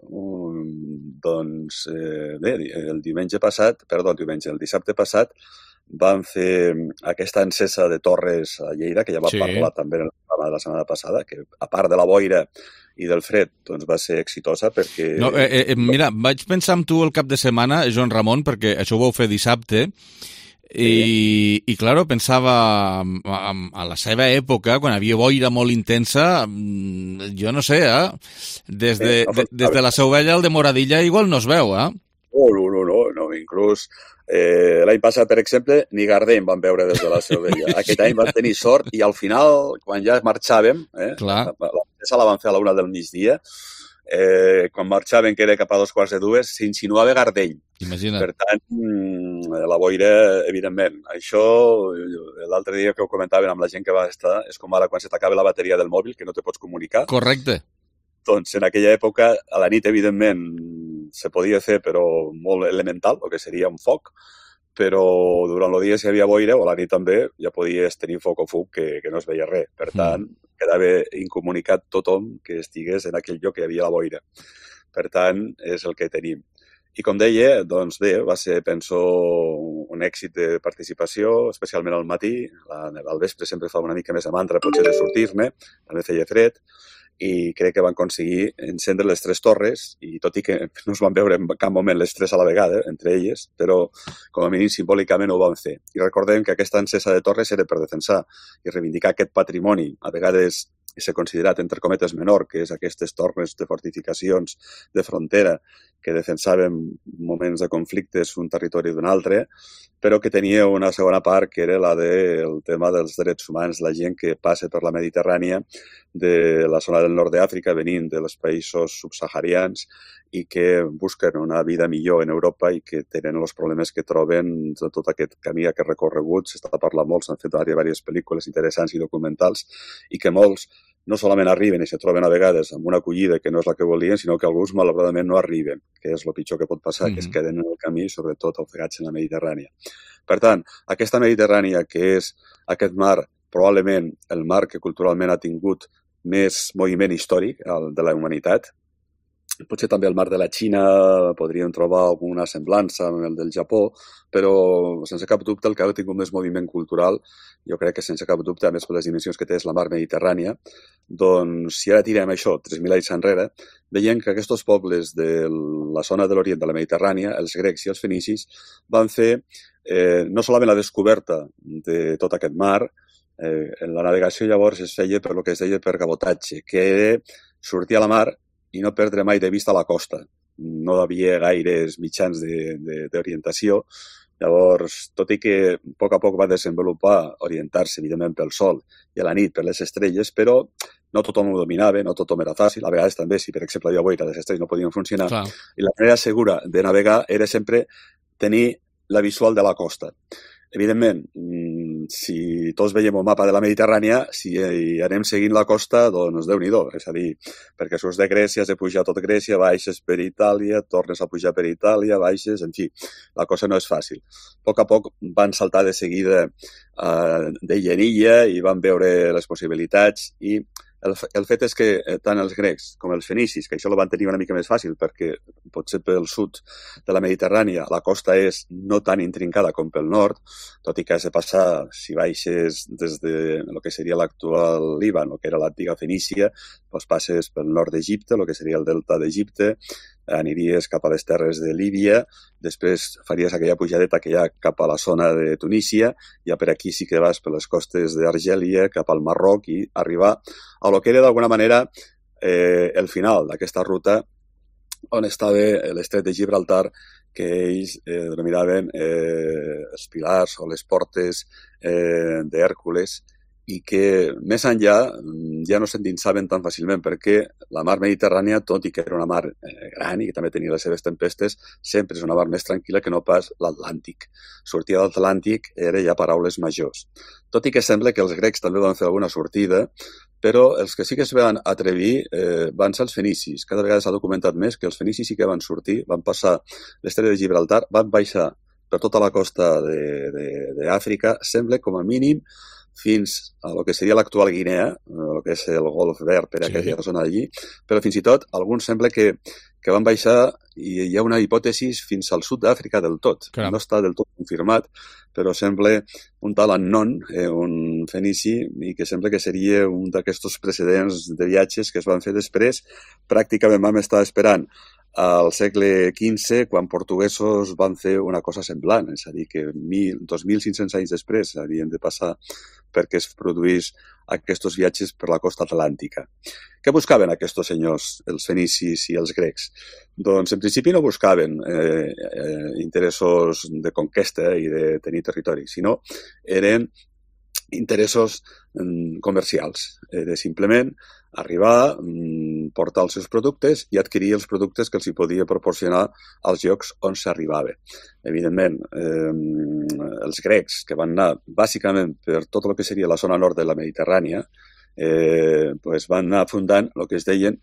el dissabte passat, van fer aquesta encesa de torres a Lleida, que ja va parlar també en el programa de la setmana passada, que a part de la boira i del fred, doncs va ser exitosa perquè... Mira, vaig pensar amb tu el cap de setmana, Joan Ramon, perquè això ho vau fer dissabte, i claro, pensava a la seva època, quan havia boira molt intensa, jo no sé, des de la Seu Vella al de Moradilla igual no es veu, No, inclús l'any passat, per exemple, ni Gardeny van veure des de la Seu Vella. Aquest any van tenir sort i al final, quan ja marxàvem, la van fer a la 1 del migdia, quan marxaven, que era cap a 2:15, s'insinuava Gardeny. Imagina't. Per tant, la boira, evidentment. Això, l'altre dia que ho comentaven amb la gent que va estar, és com ara quan se t'acaba la bateria del mòbil, que no te pots comunicar. Correcte. Doncs en aquella època, a la nit, evidentment, se podia fer, però molt elemental, el que seria un foc, però durant el dia, si hi havia boira, o a la nit també, ja podies tenir foc o fuc que no es veia res. Per tant, quedava incomunicat tothom que estigués en aquell lloc que hi havia la boira. Per tant, és el que tenim. I com deia, doncs bé, va ser, penso, un èxit de participació, especialment al matí. Al vespre sempre fa una mica més de mantra, potser de sortir-ne, també feia fred, i crec que van aconseguir encendre les 3 torres, i tot i que no es van veure en cap moment les 3 a la vegada, entre elles, però com a mínim simbòlicament ho van fer. I recordem que aquesta encesa de torres era per defensar i reivindicar aquest patrimoni, a vegades s'ha considerat, entre cometes, menor, que és aquestes torres de fortificacions de frontera que defensaven moments de conflictes un territori d'un altre, però que tenia una segona part que era la del tema dels drets humans, la gent que passa per la Mediterrània de la zona del nord d'Àfrica, venint dels països subsaharians i que busquen una vida millor en Europa i que tenen els problemes que troben de tot aquest camí, aquest recorregut. S'està parlant molt, s'han fet diverses pel·lícules interessants i documentals, i que molts no solament arriben i se troben a vegades amb una acollida que no és la que volien, sinó que alguns malauradament no arriben, que és el pitjor que pot passar, que es queden en el camí, sobretot ofegats en la Mediterrània. Per tant, aquesta Mediterrània, que és aquest mar, probablement el mar que culturalment ha tingut més moviment històric de la humanitat, potser també el mar de la Xina podríem trobar alguna semblança amb el del Japó, però sense cap dubte el que ha tingut més moviment cultural, jo crec que sense cap dubte, a més per les dimensions que té, és la mar Mediterrània. Doncs si ara tirem això 3.000 anys enrere, veiem que aquests pobles de la zona de l'Orient de la Mediterrània, els grecs i els fenicis, van fer no solament la descoberta de tot aquest mar, la navegació llavors es feia per el que es deia per cabotatge, que era sortir a la mar i no perdre mai de vista la costa. No hi havia gaires mitjans d'orientació. Llavors, tot i que a poc va desenvolupar orientar-se, evidentment, pel sol i a la nit per les estrelles, però no tothom ho dominava, no tothom era fàcil. A vegades també, si per exemple hi havia boira, les estrelles no podien funcionar. Clar. I la manera segura de navegar era sempre tenir la visual de la costa. Evidentment, si tots veiem un mapa de la Mediterrània, si anem seguint la costa, doncs Déu-n'hi-do. És a dir, perquè surts de Grècia, has de pujar tot Grècia, baixes per Itàlia, tornes a pujar per Itàlia, baixes, en fi, la cosa no és fàcil. A poc van saltar de seguida d'illa en illa i van veure les possibilitats i el fet és que tant els grecs com els fenicis, que això ho van tenir una mica més fàcil perquè potser pel sud de la Mediterrània la costa és no tan intrincada com pel nord, tot i que has de passar, si baixes des de el que seria l'actual Líban, el que era l'antiga Fenícia, doncs passes pel nord d'Egipte, el que seria el delta d'Egipte, aniries cap a les terres de Líbia, després faries aquella pujadeta que hi ha cap a la zona de Tunísia, ja per aquí sí que vas per les costes d'Argèlia, cap al Marroc i arribar a lo que era d'alguna manera el final d'aquesta ruta on estava l'estret de Gibraltar, que ells denominaven els pilars o les portes d'Hèrcules, i que més enllà ja no s'endinsaven tan fàcilment perquè la mar Mediterrània, tot i que era una mar gran i que també tenia les seves tempestes, sempre és una mar més tranquil·la que no pas l'Atlàntic. Sortir de l'Atlàntic era ja paraules majors. Tot i que sembla que els grecs també van fer alguna sortida, però els que sí que es van atrevir van ser els fenicis. Cada vegada s'ha documentat més que els fenicis sí que van sortir, van passar l'estret de Gibraltar, van baixar per tota la costa d'Àfrica, sembla com a mínim fins a lo que seria l'actual Guinea, el que és el Golf Verd per aquella zona d'allí, però fins i tot alguns sembla que van baixar i hi ha una hipòtesi fins al sud d'Àfrica del tot. Caram. No està del tot confirmat, però sembla un tal Annon, un fenici, i que sembla que seria un d'aquests precedents de viatges que es van fer després. Pràcticament vam estar esperant al segle XV, quan portuguesos van fer una cosa semblant, és a dir, que 2.500 anys després havien de passar perquè es produís aquests viatges per la costa atlàntica. Què buscaven aquests senyors, els fenicis i els grecs? Doncs en principi no buscaven interessos de conquesta i de tenir territori, sinó eren interessos comercials. Era simplement arribar, portar els seus productes i adquirir els productes que els hi podia proporcionar als llocs on s'arribava. Evidentment, els grecs, que van anar bàsicament per tot el que seria la zona nord de la Mediterrània, van anar fundant el que es deien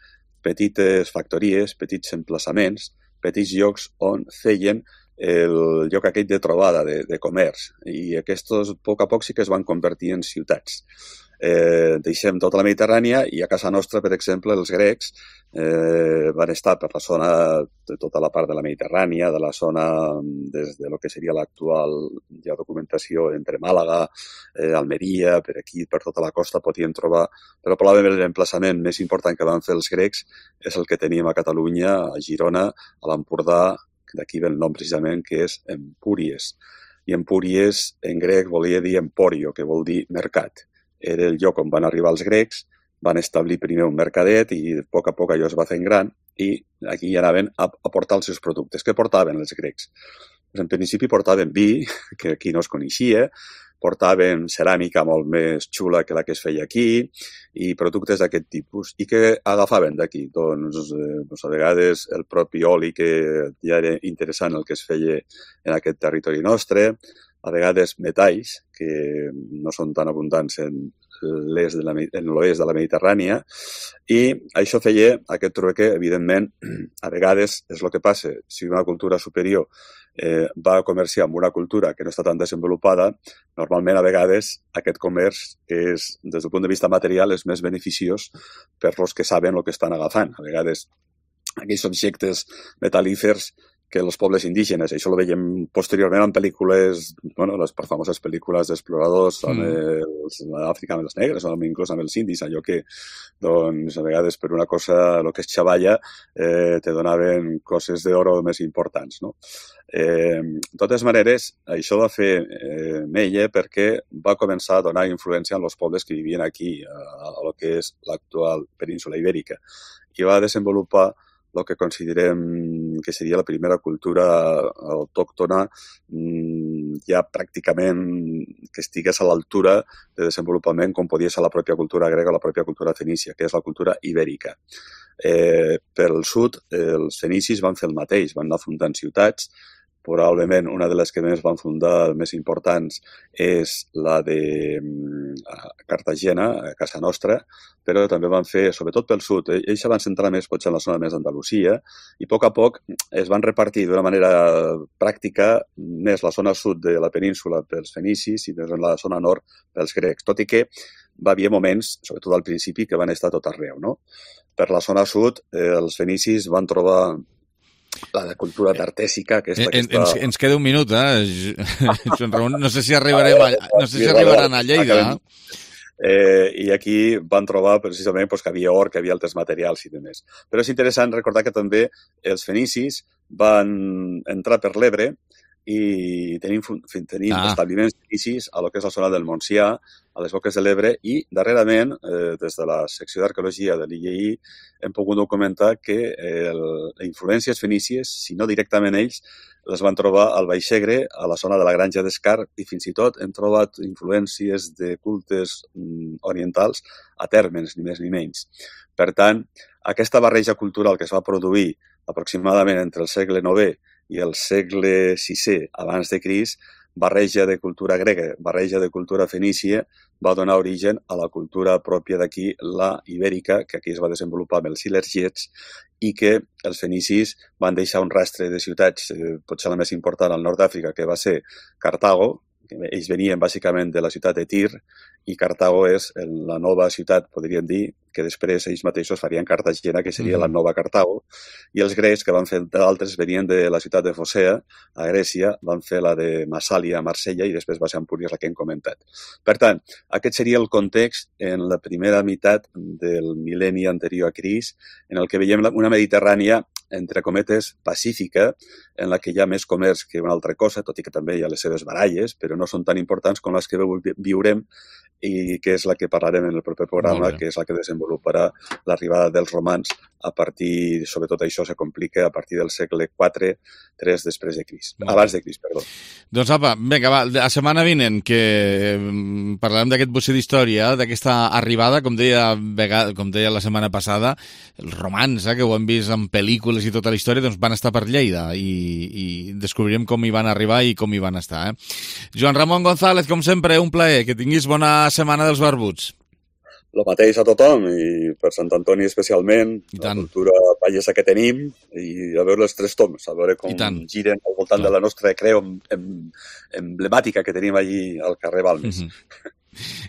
petites factories, petits emplaçaments, petits llocs on feien el lloc aquell de trobada, de comerç, i aquests a poc sí que es van convertir en ciutats. Deixem tota la Mediterrània i a casa nostra, per exemple, els grecs van estar per la zona de tota la part de la Mediterrània, de la zona des de lo que seria l'actual documentació entre Màlaga, Almeria, per aquí, per tota la costa podien trobar, però probablement l'emplaçament més important que van fer els grecs és el que teníem a Catalunya, a Girona, a l'Empordà, d'aquí ve el nom precisament, que és Empúries. I Empúries en grec volia dir Emporio, que vol dir mercat. Era el lloc on van arribar els grecs, van establir primer un mercadet i a poc allò es va fent gran i aquí ja anaven a portar els seus productes. Què portaven els grecs? Pues en principi portaven vi, que aquí no es coneixia, portaven ceràmica molt més xula que la que es feia aquí i productes d'aquest tipus. I què agafaven d'aquí? Doncs a vegades el propi oli, que ja era interessant el que es feia en aquest territori nostre, a vegades metalls, que no són tan abundants en l'oest de la Mediterrània, i això feia aquest trueque, evidentment, a vegades és el que passa, si una cultura superior va comerciar amb una cultura que no està tan desenvolupada, normalment a vegades aquest comerç és, des del punt de vista material, és més beneficiós per als que saben el que estan agafant. A vegades aquells objectes metal·lífers que els pobles indígenes, això ho veiem posteriorment en pel·lícules, les famoses pel·lícules d'exploradors amb l'Àfrica amb els negres o inclús amb els indis, allò que a vegades per una cosa, el que és xavalla, te donaven coses d'oro més importants. De totes maneres, això va fer mella perquè va començar a donar influència en els pobles que vivien aquí, a el que és l'actual península ibèrica, i va desenvolupar el que considerem que seria la primera cultura autòctona ja pràcticament que estigués a l'altura de desenvolupament com podia ser la pròpia cultura grega o la pròpia cultura fenícia, que és la cultura ibèrica. Pel sud, els fenicis van fer el mateix, van anar fundant ciutats. Probablement una de les que més van fundar, més importants, és la de Cartagena, a casa nostra, però també van fer, sobretot pel sud, ells se van centrar més potser en la zona més d'Andalusia i a poc es van repartir d'una manera pràctica més la zona sud de la península pels fenicis i més la zona nord pels grecs, tot i que va haver moments, sobretot al principi, que van estar tot arreu. Per la zona sud, els fenicis van trobar la cultura tartèsica. Ens queda un minut, Joan Ramon. No sé si arribaran a Lleida. I aquí van trobar precisament que havia or, que havia altres materials i demés. Però és interessant recordar que també els fenicis van entrar per l'Ebre i tenim establiments fenicis a lo que és la zona del Montsià, a les boques de l'Ebre, i darrerament, des de la secció d'arqueologia de l'IEI, hem pogut documentar que les influències fenícies, si no directament ells, les van trobar al Baix Segre, a la zona de la Granja d'Escar, i fins i tot hem trobat influències de cultes orientals a Térmens, ni més ni menys. Per tant, aquesta barreja cultural que es va produir aproximadament entre el segle IX i el segle VI abans de Crist, barreja de cultura grega, barreja de cultura fenícia, va donar origen a la cultura pròpia d'aquí, la ibèrica, que aquí es va desenvolupar amb els ilergets, i que els fenicis van deixar un rastre de ciutats, potser la més important al nord d'Àfrica, que va ser Cartago. Ells venien bàsicament de la ciutat de Tir, i Cartago és la nova ciutat, podríem dir, que després ells mateixos farien Cartagena, que seria la nova Cartago, i els grecs, que van fer d'altres, venien de la ciutat de Focea, a Grècia, van fer la de Massàlia, a Marsella, i després va ser Empúries, la que hem comentat. Per tant, aquest seria el context en la primera meitat del mil·lenni anterior a Crist, en el que veiem una Mediterrània, entre cometes, pacífica, en la que hi ha més comerç que una altra cosa, tot i que també hi ha les seves baralles, però no són tan importants com les que viurem i que és la que parlarem en el proper programa, que és la que desenvoluparà l'arribada dels romans a partir, sobretot això se complica a partir del segle IV, després de Crist. Abans de Crist, perdó. Doncs apa, vinga, va, la setmana vinent que parlarem d'aquest bocí d'història, d'aquesta arribada, com deia la setmana passada, els romans, que ho hem vist en pel·lícules i tota la història, doncs van estar per Lleida i descobrirem com hi van arribar i com hi van estar. Joan Ramon González, com sempre, un plaer, que tinguis bona setmana dels barbuts. El mateix a tothom, i per Sant Antoni especialment, la cultura pallesa que tenim, i a veure els tres toms, a veure com giren al voltant de la nostra creu emblemàtica que tenim allí al carrer Balmes.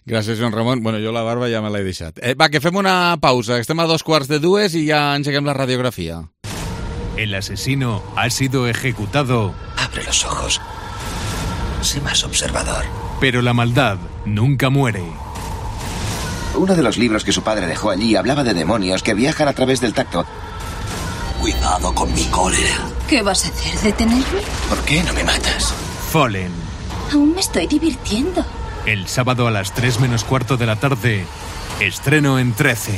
Gràcies, Joan Ramon. Bueno, jo la barba ja me l'he deixat. Va, que fem una pausa. Estem a 2:15 i ja engeguem la radiografia. El asesino ha sido ejecutado. Abre los ojos. Sé más observador. Pero la maldad nunca muere. Uno de los libros que su padre dejó allí hablaba de demonios que viajan a través del tacto. Cuidado con mi cólera. ¿Qué vas a hacer? ¿Detenerme? ¿Por qué no me matas? Fallen. Aún me estoy divirtiendo. El sábado a las 3:45 de la tarde, estreno en 13.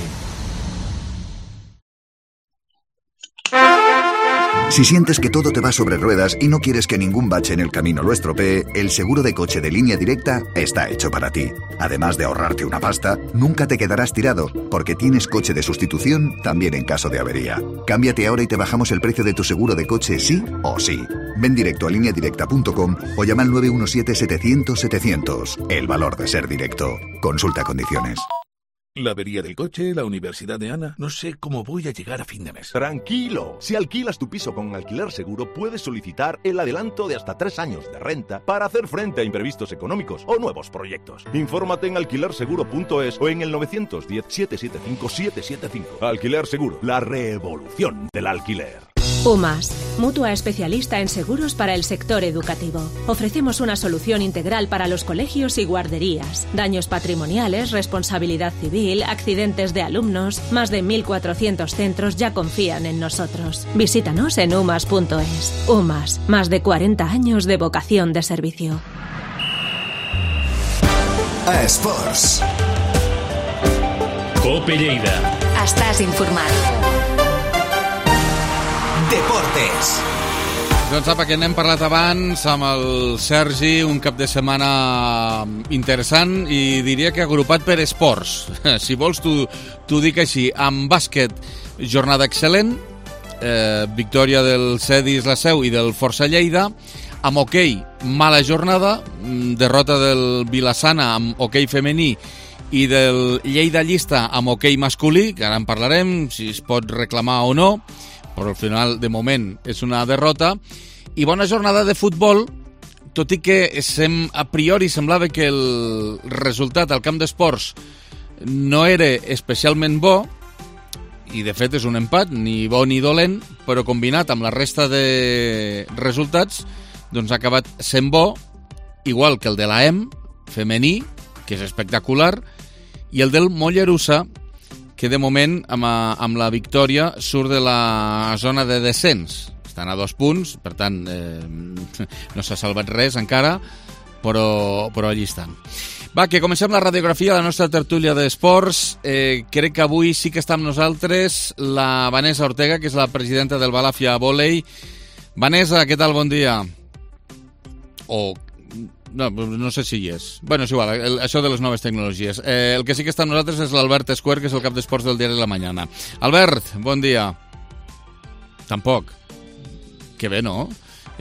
Si sientes que todo te va sobre ruedas y no quieres que ningún bache en el camino lo estropee, el seguro de coche de Línea Directa está hecho para ti. Además de ahorrarte una pasta, nunca te quedarás tirado, porque tienes coche de sustitución también en caso de avería. Cámbiate ahora y te bajamos el precio de tu seguro de coche sí o sí. Ven directo a lineadirecta.com o llama al 917-700-700. El valor de ser directo. Consulta condiciones. La avería del coche, la universidad de Ana... No sé cómo voy a llegar a fin de mes. Tranquilo. Si alquilas tu piso con Alquiler Seguro, puedes solicitar el adelanto de hasta 3 años de renta para hacer frente a imprevistos económicos o nuevos proyectos. Infórmate en alquilerseguro.es o en el 910-775-775. Alquiler Seguro, la revolución del alquiler. UMAS, mutua especialista en seguros para el sector educativo. Ofrecemos una solución integral para los colegios y guarderías. Daños patrimoniales, responsabilidad civil, accidentes de alumnos. Más de 1.400 centros ya confían en nosotros. Visítanos en umas.es. UMAS, más de 40 años de vocación de servicio. A Esports. Cope Lleida. Estàs informat. Deportes. Doncs apa, que n'hem parlat abans amb el Sergi, un cap de setmana interessant i diria que agrupat per esports. Si vols, t'ho dic així. Amb bàsquet, jornada excel·lent, victòria del Cedis La Seu i del Força Lleida. Amb hoquei, mala jornada, derrota del Vilassana amb hoquei femení i del Lleida Llista amb hoquei masculí, que ara en parlarem, si es pot reclamar o no, però al final, de moment, és una derrota. I bona jornada de futbol, tot i que a priori semblava que el resultat al camp d'esports no era especialment bo, i de fet és un empat, ni bo ni dolent, però combinat amb la resta de resultats, doncs ha acabat sent bo, igual que el de l'AEM, femení, que és espectacular, i el del Mollerussa, que de moment, amb la victòria, surt de la zona de descens. Estan a 2 punts, per tant, no s'ha salvat res encara, però allí estan. Va, que comencem la radiografia, la nostra tertúlia d'esports. Crec que avui sí que està amb nosaltres la Vanessa Ortega, que és la presidenta del Balàfia Vòlei. Vanessa, què tal? Bon dia. No sé si hi és. Bueno, és igual, això de les noves tecnologies. El que sí que està amb nosaltres és l'Albert Escuer, que és el cap d'esports del diari La Mañana. Albert, bon dia. Tampoc. Que bé, no?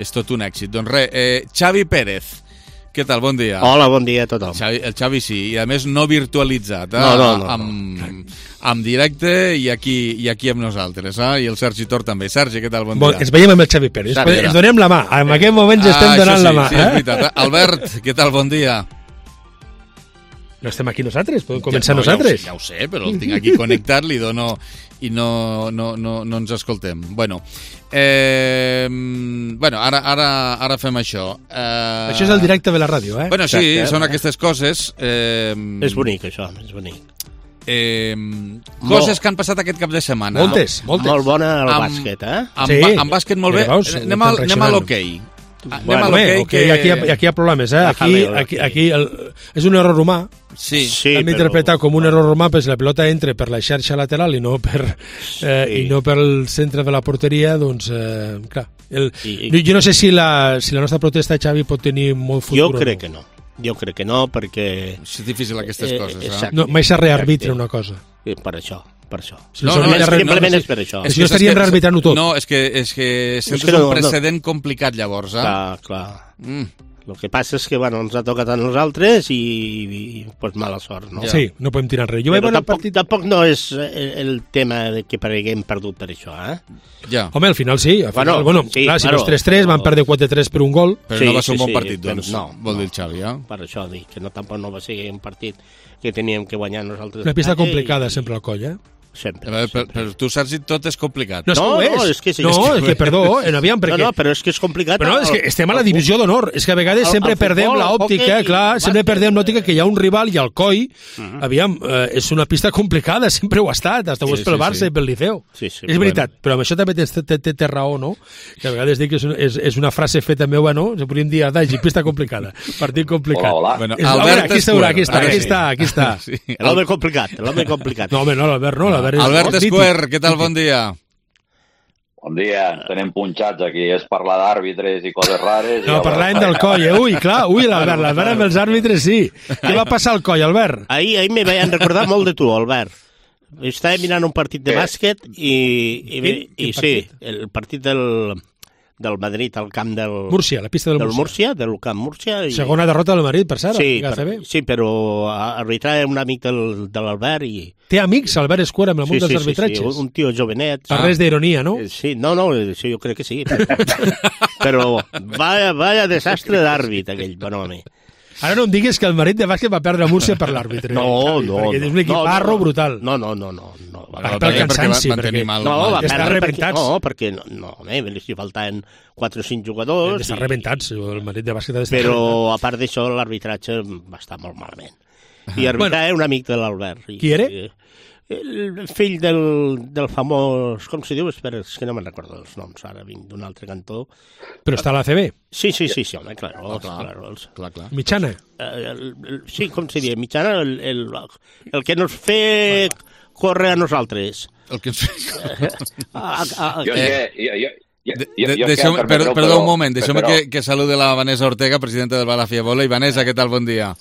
És tot un èxit. Doncs res, Xavi Pérez. Què tal? Bon dia. Hola, bon dia a tothom. El Xavi sí, i a més no virtualitzat, amb directe i aquí amb nosaltres, i el Sergi Tor també. Sergi, què tal? Bon dia. Ens veiem amb el Xavi Pérez, ens donem la mà, en aquest moment ja estem donant la mà. Sí, és veritat. Albert, què tal? Bon dia. No estem aquí nosaltres, podem començar nosaltres. Ja ho sé, però el tinc aquí connectat, li dono i no ens escoltem. Bueno, ara fem això. Això és el directe de la ràdio, eh? Bueno, sí, són aquestes coses. És bonic, això, és bonic. Coses que han passat aquest cap de setmana. Moltes. Molt bona el bàsquet, eh? Amb bàsquet molt bé. Anem a l'hoquei. Aquí hi ha problemes, eh? Aquí és un error humà. Sí, hem d'interpretar com un error humà, perquè la pelota entra per la xarxa lateral i no pel centre de la porteria, doncs, clar. Jo no sé si la nostra protesta, Xavi, pot tenir molt futur. Jo crec que no, perquè... És difícil aquestes coses, No, mai s'ha rearbitra una cosa. Per això. Simplement és per això. Si no estaríem rearbitrant-ho tot. No, és que sempre és un precedent complicat, llavors. Clar. El que passa és que ens ha tocat a nosaltres i mala sort, no? Sí, no podem tirar res. Tampoc no és el tema que haguem perdut per això, eh? Ja. Home, al final sí. Clar, si no és 3-3, van perdre 4-3 per un gol. Però no va ser un bon partit, doncs, vol dir el Xavi, eh? Per això dic que tampoc no va ser un partit que teníem que guanyar nosaltres. Una pista complicada sempre al coll, eh? Sempre. Per tu, Sergi, tot és complicat. No, és que perdó, aviam, perquè... No, però és que és complicat. Però no, és que estem a la divisió d'honor. És que a vegades sempre perdem l'òptica, clar, sempre perdem l'òptica que hi ha un rival i el coll. Aviam, és una pista complicada, sempre ho ha estat, hasta ho és pel Barça i pel Liceu. És veritat, però amb això també té raó, no? Que a vegades dic que és una frase feta meva, no? Se podríem dir, adagi, pista complicada, partit complicat. Hola. Albert Escuer. Aquí està. L'home complicat. No, home, no, l'Albert no. Albert Escuer, què tal? Bon dia. Bon dia, tenem punxats aquí, és parlar d'àrbitres i coses rares. No, parlàvem del coll, l'Albert amb els àrbitres sí. Què va passar al coll, Albert? Ahir me vayan recordar molt de tu, Albert. Estava mirant un partit de bàsquet i sí, el partit del Madrid al camp del... Múrcia, la pista del Múrcia. Del camp Múrcia. Segona derrota del Madrid, per cert. Sí, però arbitrar un amic de l'Albert i... Té amics, Albert Escuer, amb el món dels arbitratges? Sí, un tio jovenet. Per res d'ironia, no? Sí, no, jo crec que sí. Però vaya desastre d'àrbit, aquell, bon home. Ara no em diguis que el Madrid de bàsquet va perdre a Múrcia per l'àrbitre. No. Perquè és un equiparro brutal. No. Pel cansanci, perquè està rebentats. No, perquè li faltaven 4 o 5 jugadors. Estan rebentats, el Madrid de bàsquet ha d'estar rebentat. Però a part d'això, l'arbitratge va estar molt malament. I arbitrar era un amic de l'Albert. Qui era? El fill del famós... Com se diu? Espera, és que no me'n recordo els noms. Ara vinc d'un altre cantó. Però està a l'ACB? Sí, home, clar. Mitjana? Sí, com se diu? Mitjana, el que nos fe córrer a nosaltres. El que ens fe... Perdó un moment, deixeu-me que saludi la Vanessa Ortega, presidenta del Balàfia Vòlei. Vanessa, què tal? Bon dia.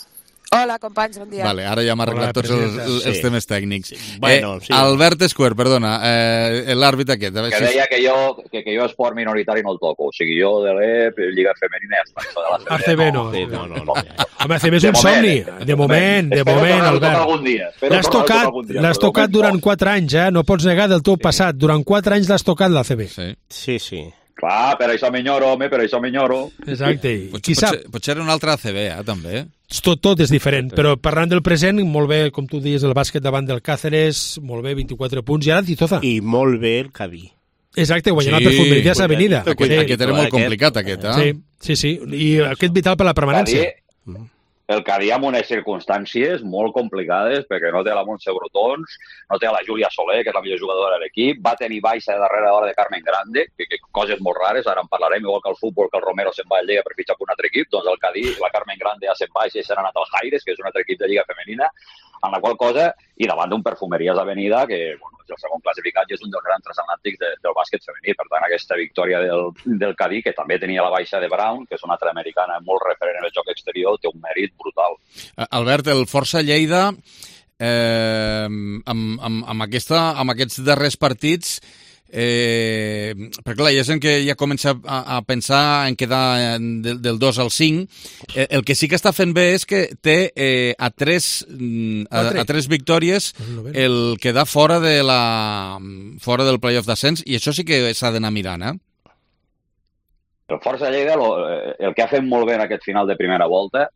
Hola, companys, bon dia. Vale, ara ja hem arreglat tots els temes tècnics. Bueno, sí. Albert Escuer, perdona, l'àrbit aquest. Que deia que jo esport minoritari no el toco. O sigui, jo de l'EP, Lliga Femenina, ACB no. Home, ACB és un somni. De moment, Albert. L'has tocat durant 4 anys, no pots negar del teu passat. Durant 4 anys l'has tocat l'ACB. Sí. Clar, per això m'enyoro, Exacte. Potser era un altre ACB, també. Tot és diferent, però parlant del present, molt bé, com tu dius, el bàsquet davant del Cáceres, molt bé, 24 punts, i ara Titoza. I molt bé el Cadí. Exacte, guanyant la Perfumerías Avenida. Aquest era molt complicat, aquest, Sí, i aquest vital per la permanència. el Cadí amb unes circumstàncies molt complicades, perquè no té la Montse Brotons, no té la Júlia Soler, que és la millor jugadora de l'equip, va tenir baixa de darrere hora de Carmen Grande, que coses molt rares, ara en parlarem, igual que el futbol, que el Romero se'n va a Lleida per fitxar per un altre equip, doncs el Cadí, la Carmen Grande ja se'n baixa i s'ha anat al Jaires, que és un altre equip de Lliga Femenina, en la qual cosa, i davant d'un Perfumeries Avenida, que bueno, és el segon classificat i és un dels grans transatlàntics del bàsquet femení. Per tant, aquesta victòria del Cadí, que també tenia la baixa de Brown, que és una altra americana molt referent en el joc exterior, té un mèrit brutal. Albert, el Força Lleida, amb aquests darrers partits, perquè clar, hi ha gent que ja comença a pensar en quedar del 2 al 5. El que sí que està fent bé és que té a tres victòries el quedar fora del playoff d'ascens, i això sí que s'ha d'anar mirant, El Força Lleida, el que ha fet molt bé en aquest final de primera volta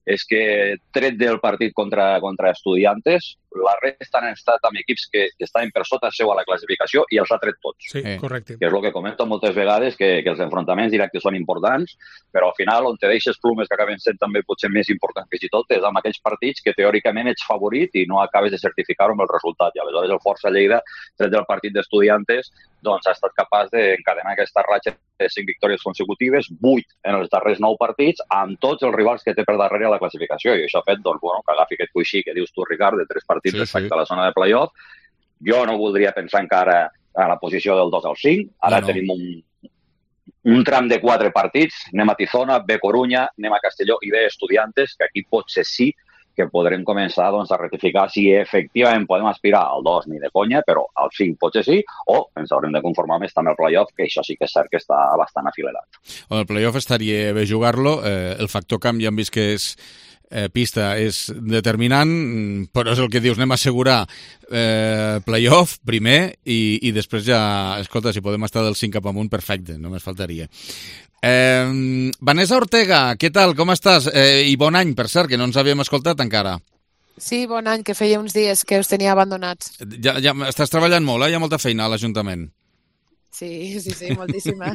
és que, tret del partit contra Estudiantes, la resta han estat amb equips que estaven per sota seu a la classificació i els ha tret tots. Sí, correcte. Que és el que comento moltes vegades, que els enfrontaments directes són importants, però al final on te deixes plumes que acaben sent també potser més importants fins i tot és amb aquells partits que teòricament ets favorit i no acabes de certificar-ho amb el resultat. I aleshores el Força Lleida, tret del partit d'Estudiantes, doncs ha estat capaç d'encadenar aquesta ratxa de 5 victòries consecutives, 8 en els darrers 9 partits, amb tots els rivals que té per darrere a la classificació. I això ha fet doncs, bueno, que agafi aquest coixí que dius tu, Ricard, de 3 partits respecte a la zona de playoff. Jo no voldria pensar encara a la posició del 2 al 5. Ara tenim un tram de 4 partits. Anem a Tizona, B Corunya, anem a Castelló i B Estudiantes, que aquí potser sí que podrem començar doncs, a rectificar si efectivament podem aspirar al 2 ni de conya, però al 5 potser sí, o ens haurem de conformar més també al playoff, que això sí que és cert que està bastant afilerat. El playoff estaria bé jugar-lo, el factor camp ja hem vist que és pista és determinant, però és el que dius, anem a assegurar playoff primer i després ja, escolta, si podem estar del 5 cap amunt, perfecte, només faltaria. Vanessa Ortega, què tal, com estàs? I bon any, per cert, que no ens havíem escoltat encara. Sí, bon any, que feia uns dies que us tenia abandonats. Ja estàs treballant molt, hi ha molta feina a l'Ajuntament. Sí, moltíssima.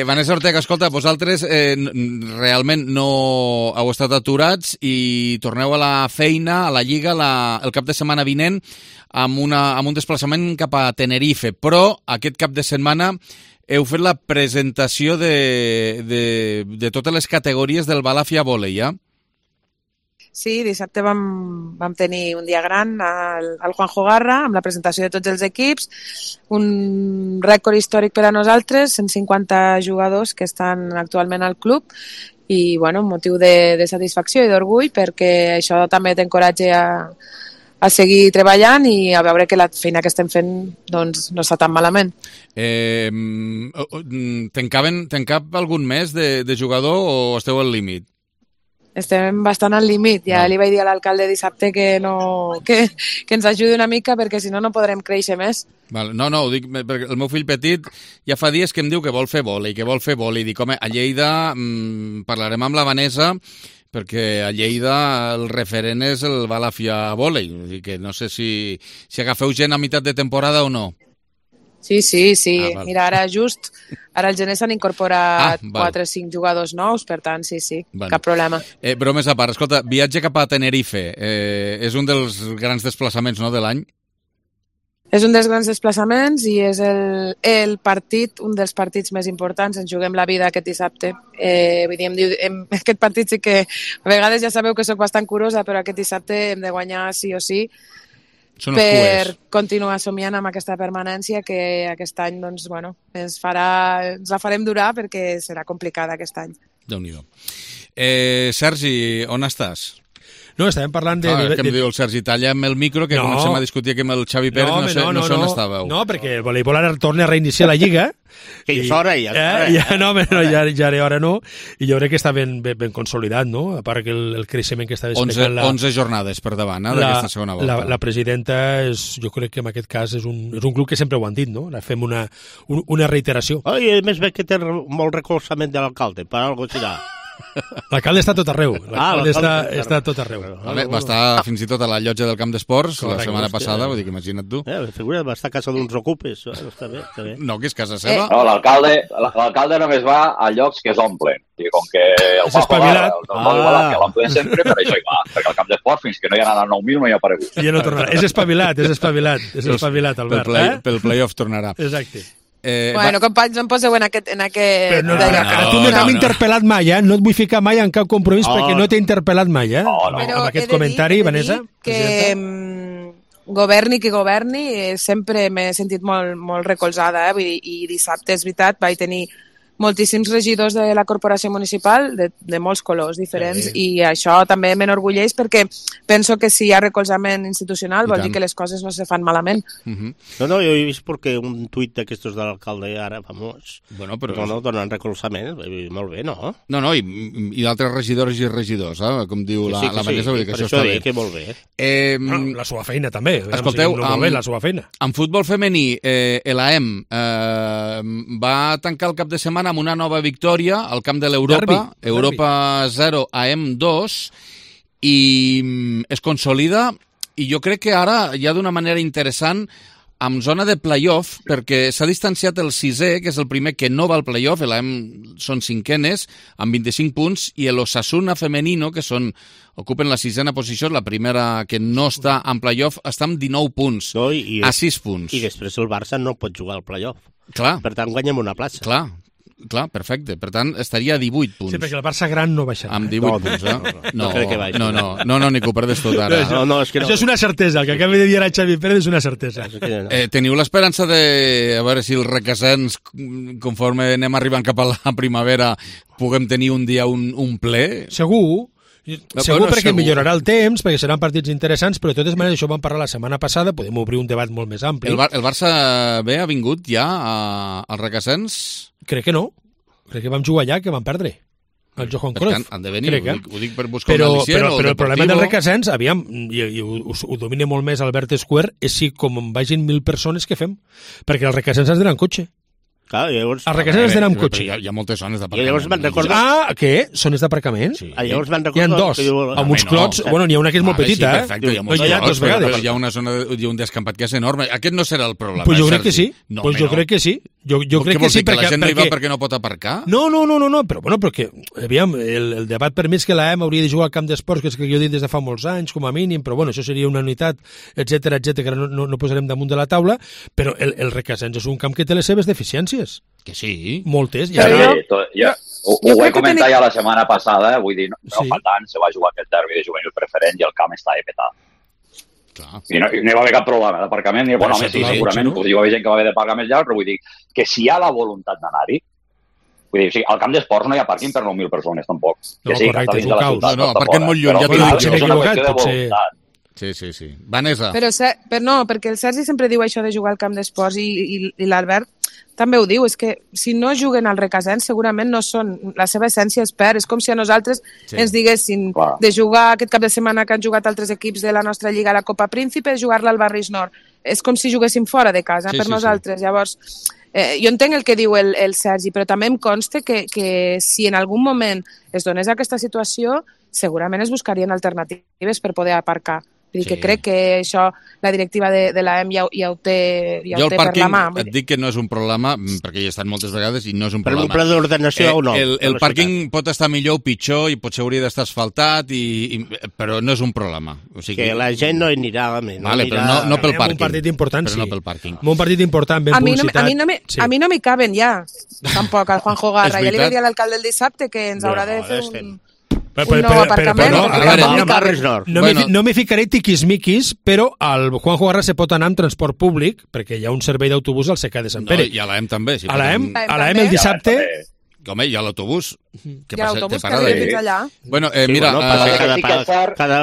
Vanessa Ortega, escolta, vosaltres realment no heu estat aturats i torneu a la feina, a la Lliga, el cap de setmana vinent amb un desplaçament cap a Tenerife, però aquest cap de setmana heu fet la presentació de totes les categories del Balàfia Vòlei, ja? Sí, dissabte vam tenir un dia gran al Juanjo Garra amb la presentació de tots els equips, un rècord històric per a nosaltres, 150 jugadors que estan actualment al club i bueno, un motiu de satisfacció i d'orgull perquè això també t'encoratja a seguir treballant i a veure que la feina que estem fent doncs, no està tan malament. Te'n cap algun mes de jugador o esteu al límit? Estem bastant al límit. Ja li vaig dir a l'alcalde dissabte que ens ajudi una mica perquè si no podrem créixer més. No, ho dic perquè el meu fill petit ja fa dies que em diu que vol fer vòlei, Dic, home, a Lleida parlarem amb la Vanessa perquè a Lleida el referent és el Balàfia Vòlei. Vull dir que no sé si agafeu gent a meitat de temporada o no. Sí. Mira, ara el gener s'han incorporat 4 o 5 jugadors nous, per tant, sí, cap problema. Bromes a part, escolta, viatge cap a Tenerife, és un dels grans desplaçaments, no?, de l'any? És un dels grans desplaçaments i és el partit, un dels partits més importants. Ens juguem la vida aquest dissabte. Vull dir, aquest partit sí que a vegades ja sabeu que sóc bastant curosa, però aquest dissabte hem de guanyar sí o sí per continuar somiant amb aquesta permanència que aquest any doncs, bueno, ens la farem durar perquè serà complicada aquest any. Déu-n'hi-do. Sergi, on estàs? No, estàvem parlant de... que em diu el Sergi, talla amb el micro, que comencem a discutir aquí amb el Xavi Pérez, no sé on estàveu. No, perquè el voleibol ara torna a reiniciar la Lliga. Que ja és hora, ja era hora, no. I jo crec que està ben consolidat, no? A part que el creixement que està desplegant... 11 jornades per davant, d'aquesta segona volta. La presidenta, jo crec que en aquest cas és un club que sempre ho han dit, no? Fem una reiteració. I a més ve que té molt recolzament de l'alcalde, per alguna cosa. L'alcalde està tot arreu. L'alcalde està tot arreu. Va estar fins i tot a la llotja del camp d'esports la setmana passada, vull dir que imagina't tu. Figura, va estar a casa d'uns ocupes. Està bé. No, que és casa seva. No, l'alcalde només va a llocs que s'omplen. I com que el fa jugar, que l'omplen sempre, per això hi va. Perquè al camp d'esport, fins que no hi ha anat al 9.000, no hi ha aparegut. Ja no tornarà. És espavilat, Albert. Pel playoff tornarà. Exacte. Bueno, companys, no em poseu en aquest... Però tu no t'hem interpel·lat mai, no et vull ficar mai en cap compromís perquè no t'he interpel·lat mai, amb aquest comentari, Vanessa. Que governi qui governi, sempre m'he sentit molt recolzada, i dissabte, és veritat, vaig tenir moltíssims regidors de la corporació municipal de molts colors diferents, i això també m'enorgulleix perquè penso que si hi ha recolzament institucional vol dir que les coses no se fan malament. No, jo he vist perquè un tuit d'aquestos de l'alcalde ara famós donen recolzament, molt bé, no? No, i d'altres regidors i regidors, com diu la Vanessa, vull dir que això està bé. Que molt bé. La seva feina també. Escolteu, la seva feina. En futbol femení, l'AEM va tancar el cap de setmana amb una nova victòria al camp de l'Europa, Europa 0, AM 2, i es consolida, i jo crec que ara ja d'una manera interessant amb zona de playoff, perquè s'ha distanciat el sisè, que és el primer que no va al playoff, l'AM són cinquenes, amb 25 punts, i l'Osasuna femenino, que ocupen la sisena posició, la primera que no està en playoff, està amb 19 punts, a 6 punts. I després el Barça no pot jugar al playoff. Clar. Per tant, guanyem una plaça. Clar, perfecte. Per tant, estaria a 18 punts. Sí, perquè el Barça gran no baixarà. Amb 18 punts, No crec que baixi. No, ni que ho perdes tot ara. Això és una certesa. El que acaba de dir ara Xavi Pérez és una certesa. Teniu l'esperança de, a veure si els requesens, conforme anem arribant cap a la primavera, puguem tenir un dia un ple? Segur, perquè millorarà el temps, perquè seran partits interessants, però de totes maneres això ho vam parlar la setmana passada, podem obrir un debat molt més ampli. El Barça B ha vingut ja als requesens? Crec que no. Crec que vam jugar allà, que vam perdre. El Johan Cruyff. Han de venir, ho dic per buscar un al·licient. Però el problema del requesens, aviam, i ho domina molt més Albert Square, és si com vagin 1.000 persones, què fem? Perquè els requesens has d'anar en cotxe. Clar, llavors... Els requesens has d'anar amb cotxe. Hi ha moltes zones d'aparcament. Què? Zones d'aparcament? Sí. Llavors van recordar... Hi ha dos. Amb uns clots... Bueno, n'hi ha una que és molt petita, perfecte, hi ha dos vegades. Però hi ha una zona, hi ha un descampat que és enorme. Aquest no serà el problema, Pues jo crec que sí. Jo crec que sí. Jo crec que sí, perquè la gent no hi va perquè no pot aparcar? No, però bueno, perquè, aviam, el debat per mi és que l'AM hauria de jugar al camp d'esports, que és que jo he dit des de fa molts anys, com a mínim, però bueno, això seria una unitat, etcètera, que no posarem damunt de la taula, però el Requesens és un camp que té les seves deficiències. Que sí. Moltes. Ho vaig comentar ja la setmana passada, vull dir, no fa tant, se va jugar aquest derbi de juvenil preferent i el camp estava petat. I no hi va haver cap problema d'aparcament, bueno, sí, segurament, hi va haver gent que va haver de pagar més llarg, però vull dir que si hi ha la voluntat d'anar-hi, vull dir, al camp d'esports no hi ha pàrquing per 9.000 persones, tampoc. No, correcte, és un caos. No, aparquen molt lluny, ja t'ho dic jo. És una qüestió de voluntat. Sí. Vanessa. Però no, perquè el Sergi sempre diu això de jugar al camp d'esports i l'Albert també ho diu, és que si no juguen al Requesens segurament no són, la seva essència es perd, és com si a nosaltres ens diguessin de jugar aquest cap de setmana que han jugat altres equips de la nostra lliga a la Copa Príncipe, jugar-la al Barris Nord, és com si juguéssim fora de casa per nosaltres, llavors jo entenc el que diu el Sergi, però també em consta que si en algun moment es donés aquesta situació segurament es buscarien alternatives per poder aparcar. Vull dir que crec que això la directiva de l'AM ja ho té per la mà. Jo el pàrquing et dic que no és un problema, perquè hi he estat moltes vegades i no és un problema. Per un pla d'ordenació o no? El pàrquing pot estar millor o pitjor i potser hauria d'estar asfaltat, però no és a problema. Que la gent no hi anirà. Però no pel pàrquing. Un partit important, sí. Un partit important, ben publicitat. A mi no m'hi caben ja, tampoc, al Juanjo Garra. Ja li va dir a l'alcalde el dissabte que ens haurà de fer un nou aparcament. No m'hi ficaré tiquismiquis, però al Juanjo Garra se pot anar amb transport públic, perquè hi ha un servei d'autobús al CK de Sant Pere. I a l'AM també. A l'AM el dissabte... Home, hi ha l'autobús. Hi ha l'autobús que arriba fins allà. Bueno, mira...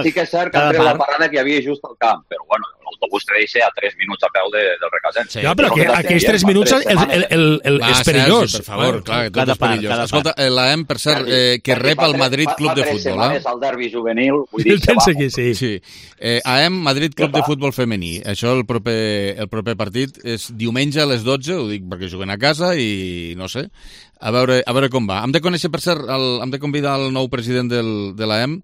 Sí que és cert que ha tret la parada que hi havia just al camp, però bueno, l'autobús te deixa a 3 minuts a peu del Requesens. Sí, però aquells 3 minuts és perillós. Per favor, clar, que tot és perillós. Escolta, l'AEM, per cert, que rep el Madrid Club de Futbol. Fa 3 setmanes al derbi juvenil, vull dir, pensa que sí. AEM, Madrid Club de Futbol femení. Això, el proper partit és diumenge a les 12, ho dic perquè juguen a casa i no sé, a veure com va. Hem de conèixer, per cert, hem de convidar el nou president de l'AEM.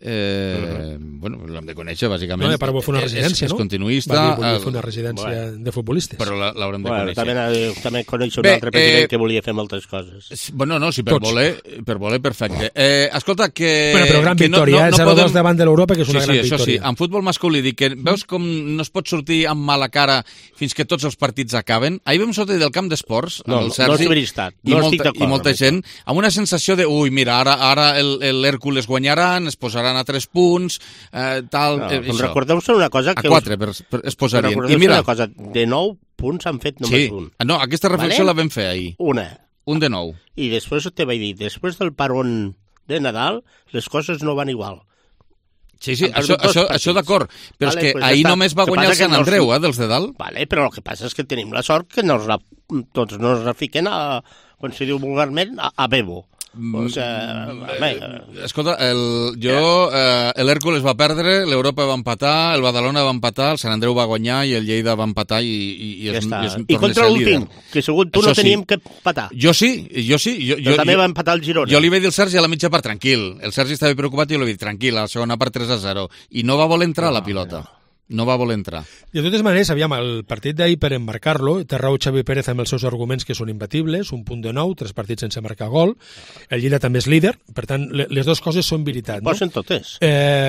Bueno, l'hem de conèixer, bàsicament. No, però vol fer una residència, no? És continuista. Volia fer una residència de futbolistes. Però l'haurem de conèixer. També coneix un altre president que volia fer moltes coses. Bueno, no, sí, per voler, perfecte. Escolta, que... Però gran victòria, 0-2 davant de l'Europa, que és una gran victòria. Sí, en futbol masculí, dic que veus com no es pot sortir amb mala cara fins que tots els partits acaben? Ahir vam sortir del camp d'esports amb el Sergi i molta gent amb una sensació de, ui, mira, ara l'Hèrcules guanyaran, es posaran a 3 punts, tal... Recordeu-se una cosa... A 4 es posarien. Recordeu-se una cosa, de 9 punts han fet només un. No, aquesta reflexió la vam fer ahir. Un de 9. I després te vaig dir, després del parón de Nadal, les coses no van igual. Sí, això d'acord, però és que ahir només va guanyar el Sant Andreu, dels de dalt. Vale, però el que passa és que tenim la sort que tots no es refiquen com se diu vulgarment, a bebo. Escolta, l'Hèrcules va perdre, l'Europa va empatar, el Badalona va empatar, el Sant Andreu va guanyar i el Lleida va empatar i contra l'últim, que segur tu no teníem que empatar. Jo sí. Jo també va empatar el Girona. Jo li vaig dir al Sergi a la mitja part, tranquil. El Sergi estava preocupat i jo li vaig dir, tranquil, a la segona part 3-0. I no va voler entrar a la pilota. No va voler entrar. De totes maneres, el partit d'ahir, per emmarcar-lo, té raó Xavi Pérez amb els seus arguments que són imbatibles, un punt de 9, 3 partits sense marcar gol, el Lleida també és líder, per tant, les dues coses són veritat. No? Posen totes?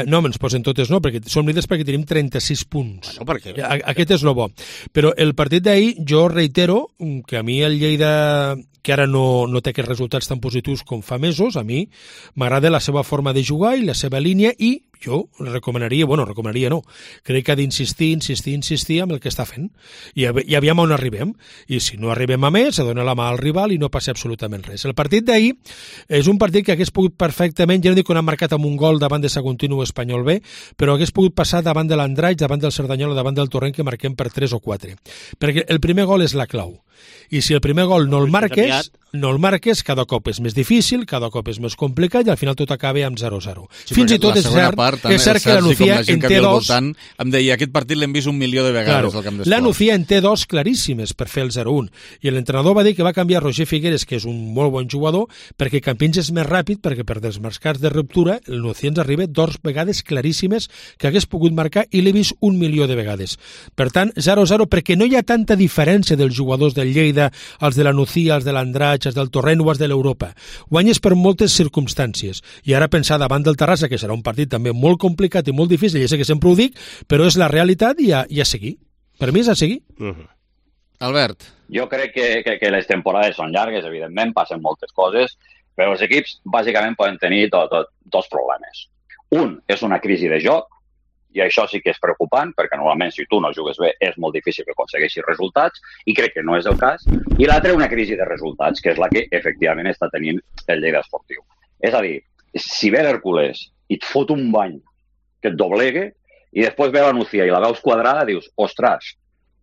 No, ens posen totes no, perquè som líders perquè tenim 36 punts. Bueno, perquè... Aquest és lo bo. Però el partit d'ahir, jo reitero que a mi el Lleida, que ara no té aquests resultats tan positius com fa mesos, a mi m'agrada la seva forma de jugar i la seva línia i jo recomanaria no, crec que ha d'insistir amb el que està fent i aviam on arribem, i si no arribem a més, se dona la mà al rival i no passa absolutament res. El partit d'ahir és un partit que hagués pogut perfectament, ja no dic que no ha marcat amb un gol davant de Saguntino o Espanyol B, però hagués pogut passar davant de l'Andratx, davant del Cerdanyola, davant del Torrent, que marquem per 3 o 4, perquè el primer gol és la clau, i si el primer gol no el marques, cada cop és més difícil, cada cop és més complicat i al final tot acaba amb 0-0. Fins i tot és cert que la Nucía en té dos... Em deia, aquest partit l'hem vist 1 milió de vegades al camp d'esports. La Nucía en té dos claríssimes per fer el 0-1 i l'entrenador va dir que va canviar Roger Figueres, que és un molt bon jugador, perquè Campins és més ràpid, perquè per desmarcats de ruptura el Nucía ens arriba 2 vegades claríssimes que hagués pogut marcar i l'he vist 1 milió de vegades. Per tant, 0-0, perquè no hi ha tanta diferència dels jugadors del Lleida, els de la Nucía, els de l'Andratx, els del Torrent o els de l'Europa. Guanyes per moltes circumstàncies. I ara pensar davant del Terrassa, que serà un partit també molt complicat i molt difícil, ja sé que sempre ho dic, però és la realitat i a seguir. Per mi és a seguir. Albert. Jo crec que les temporades són llargues, evidentment, passen moltes coses, però els equips bàsicament poden tenir dos problemes. Un és una crisi de joc, i això sí que és preocupant, perquè normalment si tu no jugues bé és molt difícil que aconsegueixis resultats, i crec que no és el cas. I l'altre, una crisi de resultats, que és la que efectivament està tenint el Lleida Esportiu. És a dir, si ve l'Hèrcules i et fot un bany que et doblegue, i després ve la Nucía i la veus quadrada, dius, ostres,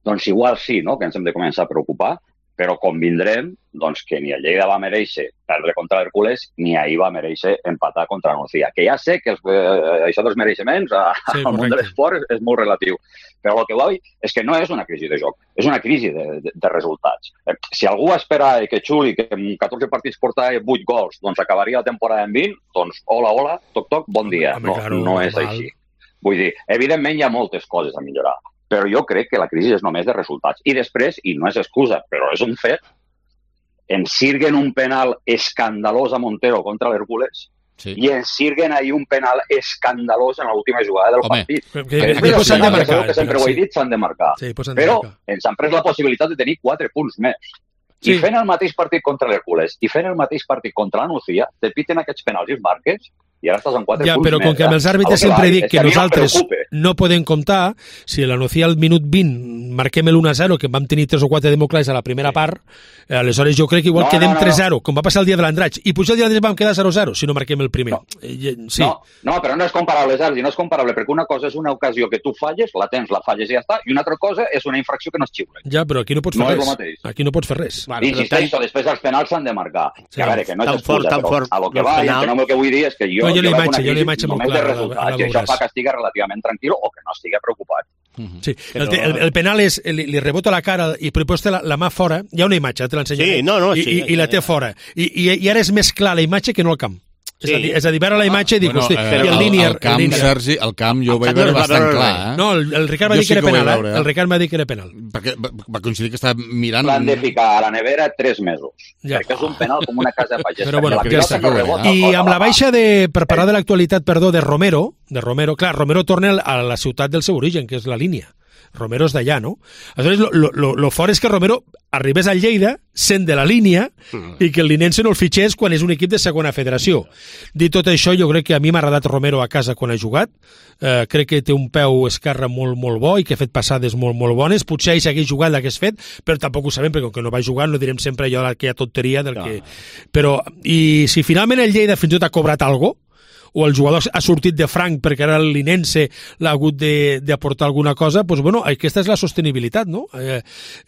doncs igual sí, no?, que ens hem de començar a preocupar, però convindrem doncs, que ni el Lleida va mereixer perdre contra l'Hèrcules ni ahir va mereixer empatar contra la Nucía. Que ja sé que això dels mereixements al món de l'esport és molt relatiu, però el que vull és que no és una crisi de joc, és una crisi de resultats. Si algú esperava que Xuli, que en 14 partits portava 8 gols, doncs acabaria la temporada en 20, doncs hola, toc, bon dia. No és així. Vull dir, evidentment hi ha moltes coses a millorar, però jo crec que la crisi és només de resultats. I després, i no és excusa, però és un fet, ens sirguen un penal escandalós a Montero contra l'Hèrcules i ens sirguen ahir un penal escandalós en l'última jugada del partit. Que sempre ho he dit, s'han de marcar. Però ens han pres la possibilitat de tenir 4 punts més. I fent el mateix partit contra l'Hèrcules i fent el mateix partit contra la Nucía, te piten aquests penals i els marques. I ara estàs amb 4 punts però com que amb els àrbitres sempre dic que nosaltres no podem comptar, si la nocia al minut 20 marquem el 1-0, que vam tenir 3 o 4 democràcies a la primera part, aleshores jo crec que igual quedem 3-0, com va passar el dia de l'Andratx, i potser el dia de l'Andratx vam quedar 0-0, si no marquem el primer. Sí. No, però no és comparable, Sergi, no és comparable, perquè una cosa és una ocasió que tu falles, la tens, la falles i ja està, i una altra cosa és una infracció que no es xiula. Ja, però aquí no pots fer res. Aquí no pots fer res. Insisteixo, després els penals s'han de marcar. A veure, que no és excusa, però a lo que va, i el que vull dir és que jo la imatge molt clara. I això fa que estigui relativament tranquil o que no estigui preocupat. Sí, el penal és, li rebota la cara i després té la mà fora, hi ha una imatge, te l'ensenyaré, i la té fora. I ara és més clar la imatge que no el camp. És a dir, veure la imatge i dic, hosti, el línier... El camp, Sergi, el camp jo ho vaig veure bastant clar. No, el Ricard va dir que era penal, el Ricard va dir que era penal. Perquè va coincidir que estava mirant... L'han de ficar a la nevera 3 mesos, perquè és un penal com una casa de pagès. Però bueno, i amb la baixa per parlar de l'actualitat, de Romero, clar, Romero torna a la ciutat del seu origen, que és la línia. Romero és d'allà, no? Aleshores, lo fort és que Romero arribés al Lleida sent de la línia i que el Linense no el fitxés quan és un equip de segona federació. Dit tot això, jo crec que a mi m'ha agradat Romero a casa quan ha jugat. Crec que té un peu esquerre molt, molt bo i que ha fet passades molt, molt bones. Potser ell s'hagués jugat l'hagués fet, però tampoc ho sabem, perquè com que no va jugar no direm sempre allò d'aquella tonteria del que... Però, i si finalment el Lleida fins i tot ha cobrat alguna cosa, o el jugador ha sortit de franc perquè ara el Linense l'ha hagut d'aportar alguna cosa, doncs bueno, aquesta és la sostenibilitat, no?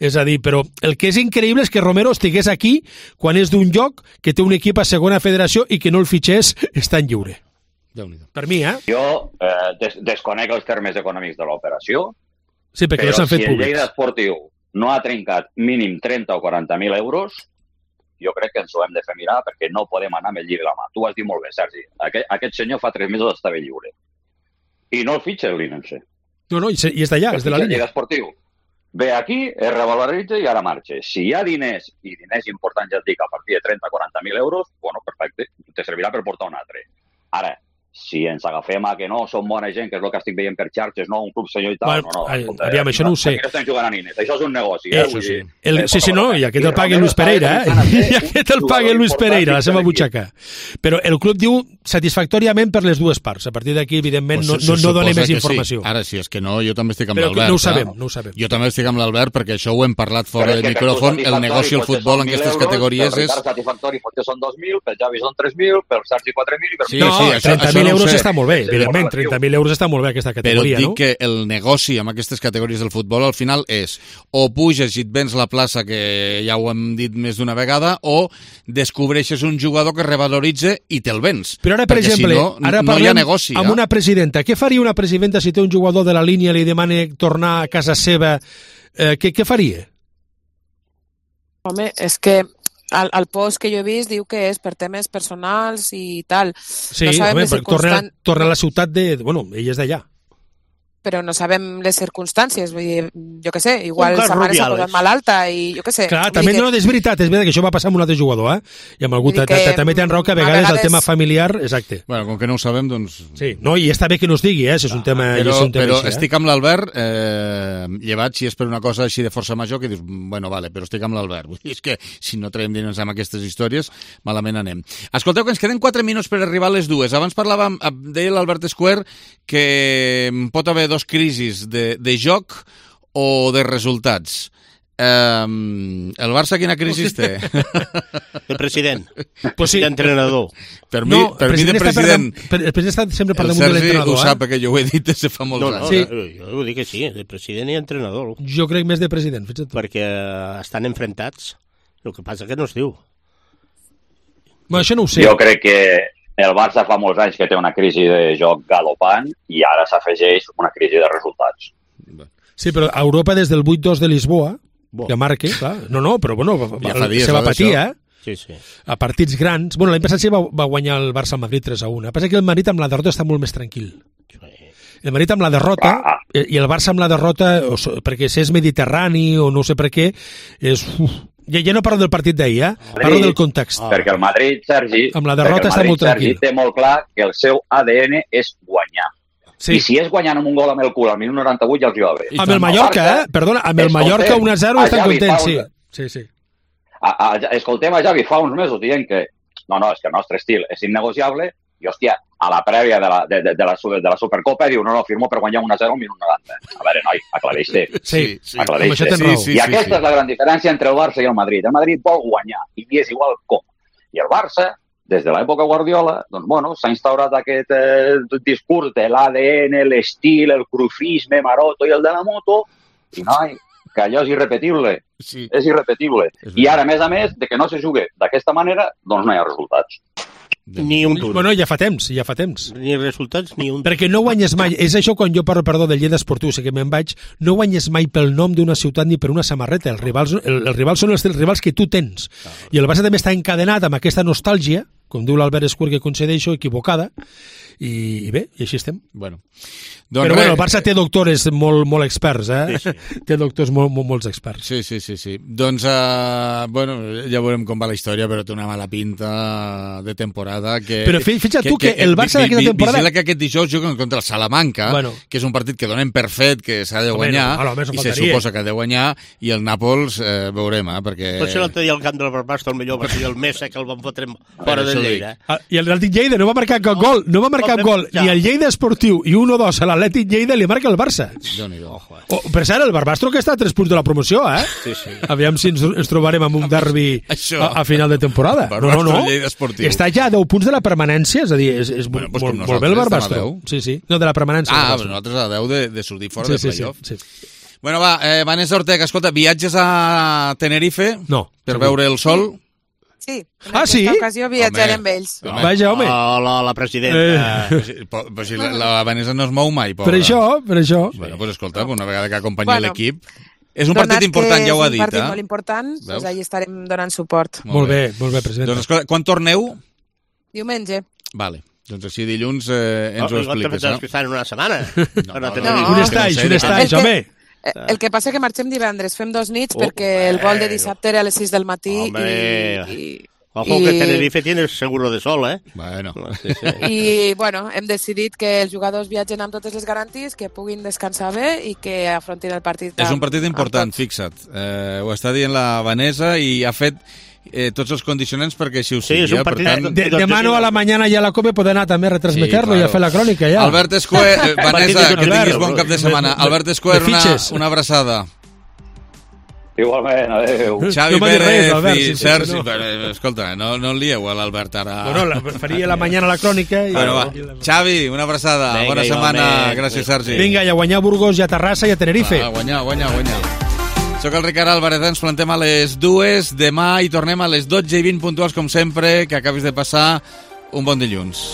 És a dir, però el que és increïble és que Romero estigués aquí quan és d'un lloc que té un equip a segona federació i que no el fitxés estant lliure. Per mi, Jo desconec els termes econòmics de l'operació, sí, perquè però s'han fet si el públics. Lleida Esportiu no ha trencat mínim 30 o 40.000 euros, jo crec que ens ho hem de fer mirar perquè no podem anar amb el llibre a la mà. Tu ho has dit molt bé, Sergi. Aquest senyor fa 3 mesos estava lliure. I no el fitxa el Linense. No, i és d'allà, és de la línia. Esportiu. Ve aquí, es revaloritza i ara marxa. Si hi ha diners, i diners importants ja et dic, a partir de 30 o 40.000 euros, bueno, perfecte, te servirà per portar un altre. Ara, si ens agafem a que no, som bona gent, que és el que estic veient per xarxes, no, un club senyor i tal, aviam, això no ho sé. Aquí no estem jugant a nines, això és un negoci. Sí, no, i aquest el paga Luis Pereira, i aquest el paga Luis Pereira, la seva butxaca. Però el club diu satisfactòriament per les dues parts. A partir d'aquí, evidentment, no dona més informació. Ara, si és que no, jo també estic amb l'Albert. No ho sabem. Jo també estic amb l'Albert, perquè això ho hem parlat fora de micròfon, el negoci al futbol en aquestes categories és... Per satisfactori potser són 2.000, per Javi són 3.000, per Sergi 4.000 i per... No, 30.000 euros està molt bé, evidentment, 30.000 euros està molt bé aquesta categoria, no? Però dic que el negoci amb aquestes categories del futbol al final és o puges i et vens la plaça, que ja ho hem dit més d'una vegada, o descobreixes un jugador que revaloritza i te'l vens. Però ara, per exemple, ara parlem amb una presidenta. Què faria una presidenta si té un jugador de la línia i li demana tornar a casa seva? Què faria? Home, és que el post que jo he vist diu que és per temes personals i tal. Sí, home, torna a la ciutat de... Bueno, ell és d'allà. Però no sabem les circumstàncies, vull dir, jo què sé, igual sa mare s'ha posat malalta i jo què sé. Clar, també no, és veritat que això va passar amb un altre jugador, i amb algú també tenen raó que a vegades el tema familiar, exacte. Bueno, com que no ho sabem, doncs... Sí, no, i està bé que no es digui, si és un tema però estic amb l'Albert, llevat si és per una cosa així de força major, que dius, bueno, vale, però estic amb l'Albert. És que si no traiem diners amb aquestes històries, malament anem. Escolteu, que ens queden 4 minuts per arribar a les 2. Abans parlàvem, deia l'Albert Square, que pot haver dos crisis de joc o de resultats. El Barça quina crisi té? De president. Pues sí. D'entrenador. Per mi de president... El president està sempre per damunt El de l'entrenador. Sergi ho sap, perquè jo ho he dit des de fa molts anys. Sí. Jo ho dic que sí, de president i entrenador. Jo crec més de president, fins i tot. Perquè estan enfrontats. El que passa que no es diu. Bueno, això no ho sé. Jo crec que el Barça fa molts anys que té una crisi de joc galopant i ara s'afegeix una crisi de resultats. Sí, però a Europa des del 8-2 de Lisboa, que marque, clar, però bueno, se va patir, Sí, sí. A partits grans. Bueno, l'any passat sí va guanyar el Barça al Madrid 3-1. El que passa que el Madrid amb la derrota està molt més tranquil. El Madrid amb la derrota i el Barça amb la derrota, perquè si és mediterrani o no sé per què, és... Ja no parlo del partit d'ahir, parlo del context. Perquè el Madrid, Sergi, amb la derrota està molt tranquil. Sergi té molt clar que el seu ADN és guanyar. Sí. I si és guanyant amb un gol amb el cul al minut 98 ja els hi va bé. Amb el Mallorca, perdona, amb el Mallorca 1-0 estan contents, sí. Escoltem a Javi fa uns mesos dient que no, és que el nostre estil és innegociable i, hòstia, a la prèvia de la Supercopa, diu, no, firmo per guanyar 1-0 al minut 90. A veure, noi, aclareix-te. Sí, aclareix-te. I aquesta és la gran diferència entre el Barça i el Madrid. El Madrid vol guanyar, i és igual com. I el Barça, des de l'època Guardiola, doncs, bueno, s'ha instaurat aquest discurs de l'ADN, l'estil, el crufisme, Maroto i el de la moto, i noi, que allò és irrepetible. Sí. És irrepetible. I ara, a més, de que no se jugui d'aquesta manera, doncs no hi ha resultats. Ni un duro. Bueno, ja fa temps. Ni resultats, ni un... Perquè no guanyes mai, és això quan jo parlo, perdó, del Lleida Esportiu, sé que me'n vaig, no guanyes mai pel nom d'una ciutat ni per una samarreta. Els rivals són els rivals que tu tens. I el Barça també està encadenat amb aquesta nostàlgia, com diu l'Albert Escuer, que concedeixo, equivocada, i bé, i així estem. Bueno. Però bueno, el Barça té doctors molt experts, Sí. Té doctors molts experts. Sí. Doncs, bueno, ja veurem com va la història, però té una mala pinta de temporada. Però fixa't tu que el Barça d'aquesta temporada... Vigila que aquest dijous juguen contra el Salamanca, que és un partit que donem per fet, que s'ha de guanyar, i se suposa que ha de guanyar, i el Nàpols veurem, perquè... Potser l'altre dia al camp del Barbastro el millor va ser el Mesa, que el van fotre fora del Lleida. I el Atlètic Lleida no va marcar cap gol, ni el Lleida Esportiu, i 1-2 a l'Atlètic Lleida li marca el Barça. Per cert, el Barbastro que està a 3 punts de la promoció, Sí. Aviam si ens trobarem amb un derbi a final de temporada. No. Està ja a 10 punts de la permanència, és a dir, és molt bé el Barbastro. Sí. No, de la permanència. Però nosaltres a 10 de sortir fora de playoff. Sí. Bueno, va, Vanessa Ortega, escolta, viatges a Tenerife? No. Per veure el sol? Sí, en aquesta ocasió viatjarem amb ells. Vaja, home. La presidenta. Però si la Vanessa no es mou mai, pobra. Per això. Bueno, doncs escolta, una vegada que acompanya l'equip... És un partit important, ja ho ha dit. És un partit molt important, doncs allà estarem donant suport. Molt bé, presidenta. Doncs escolta, quan torneu? Diumenge. Vale. Doncs així dilluns ens ho expliques, no? Que estan en una setmana. Un estatge, home. El que passa que marxem divendres, fem 2 nits perquè el vol de dissabte era a les 6 del matí Ojo que Tenerife tiene seguro de sol, Bueno. I, bueno, hem decidit que els jugadors viatgen amb totes les garanties, que puguin descansar bé i que afrontin el partit. És un partit important, fixa't. Ho està dient la Vanessa i ha fet tots els condicionants perquè així ho sigui. Sí, és un partit... Demano a la mañana ja a la COPE poder anar també a retransmeter-lo i a fer la crònica, ja. Albert Escuer, Vanessa, que tinguis bon cap de setmana. Albert Escuer, una abraçada. Igualment, adéu. Xavi Pérez i Sergi... Escolta, no el lieu a l'Albert ara. Bueno, faria la mañana la crònica. Xavi, una abraçada. Bona setmana. Gràcies, Sergi. Vinga, i a guanyar Burgos, i a Terrassa, i a Tenerife. A guanyar. Soc el Ricard Álvarez, ens plantem a les 2, demà i tornem a les 12:20 puntuals, com sempre, que acabis de passar un bon dilluns.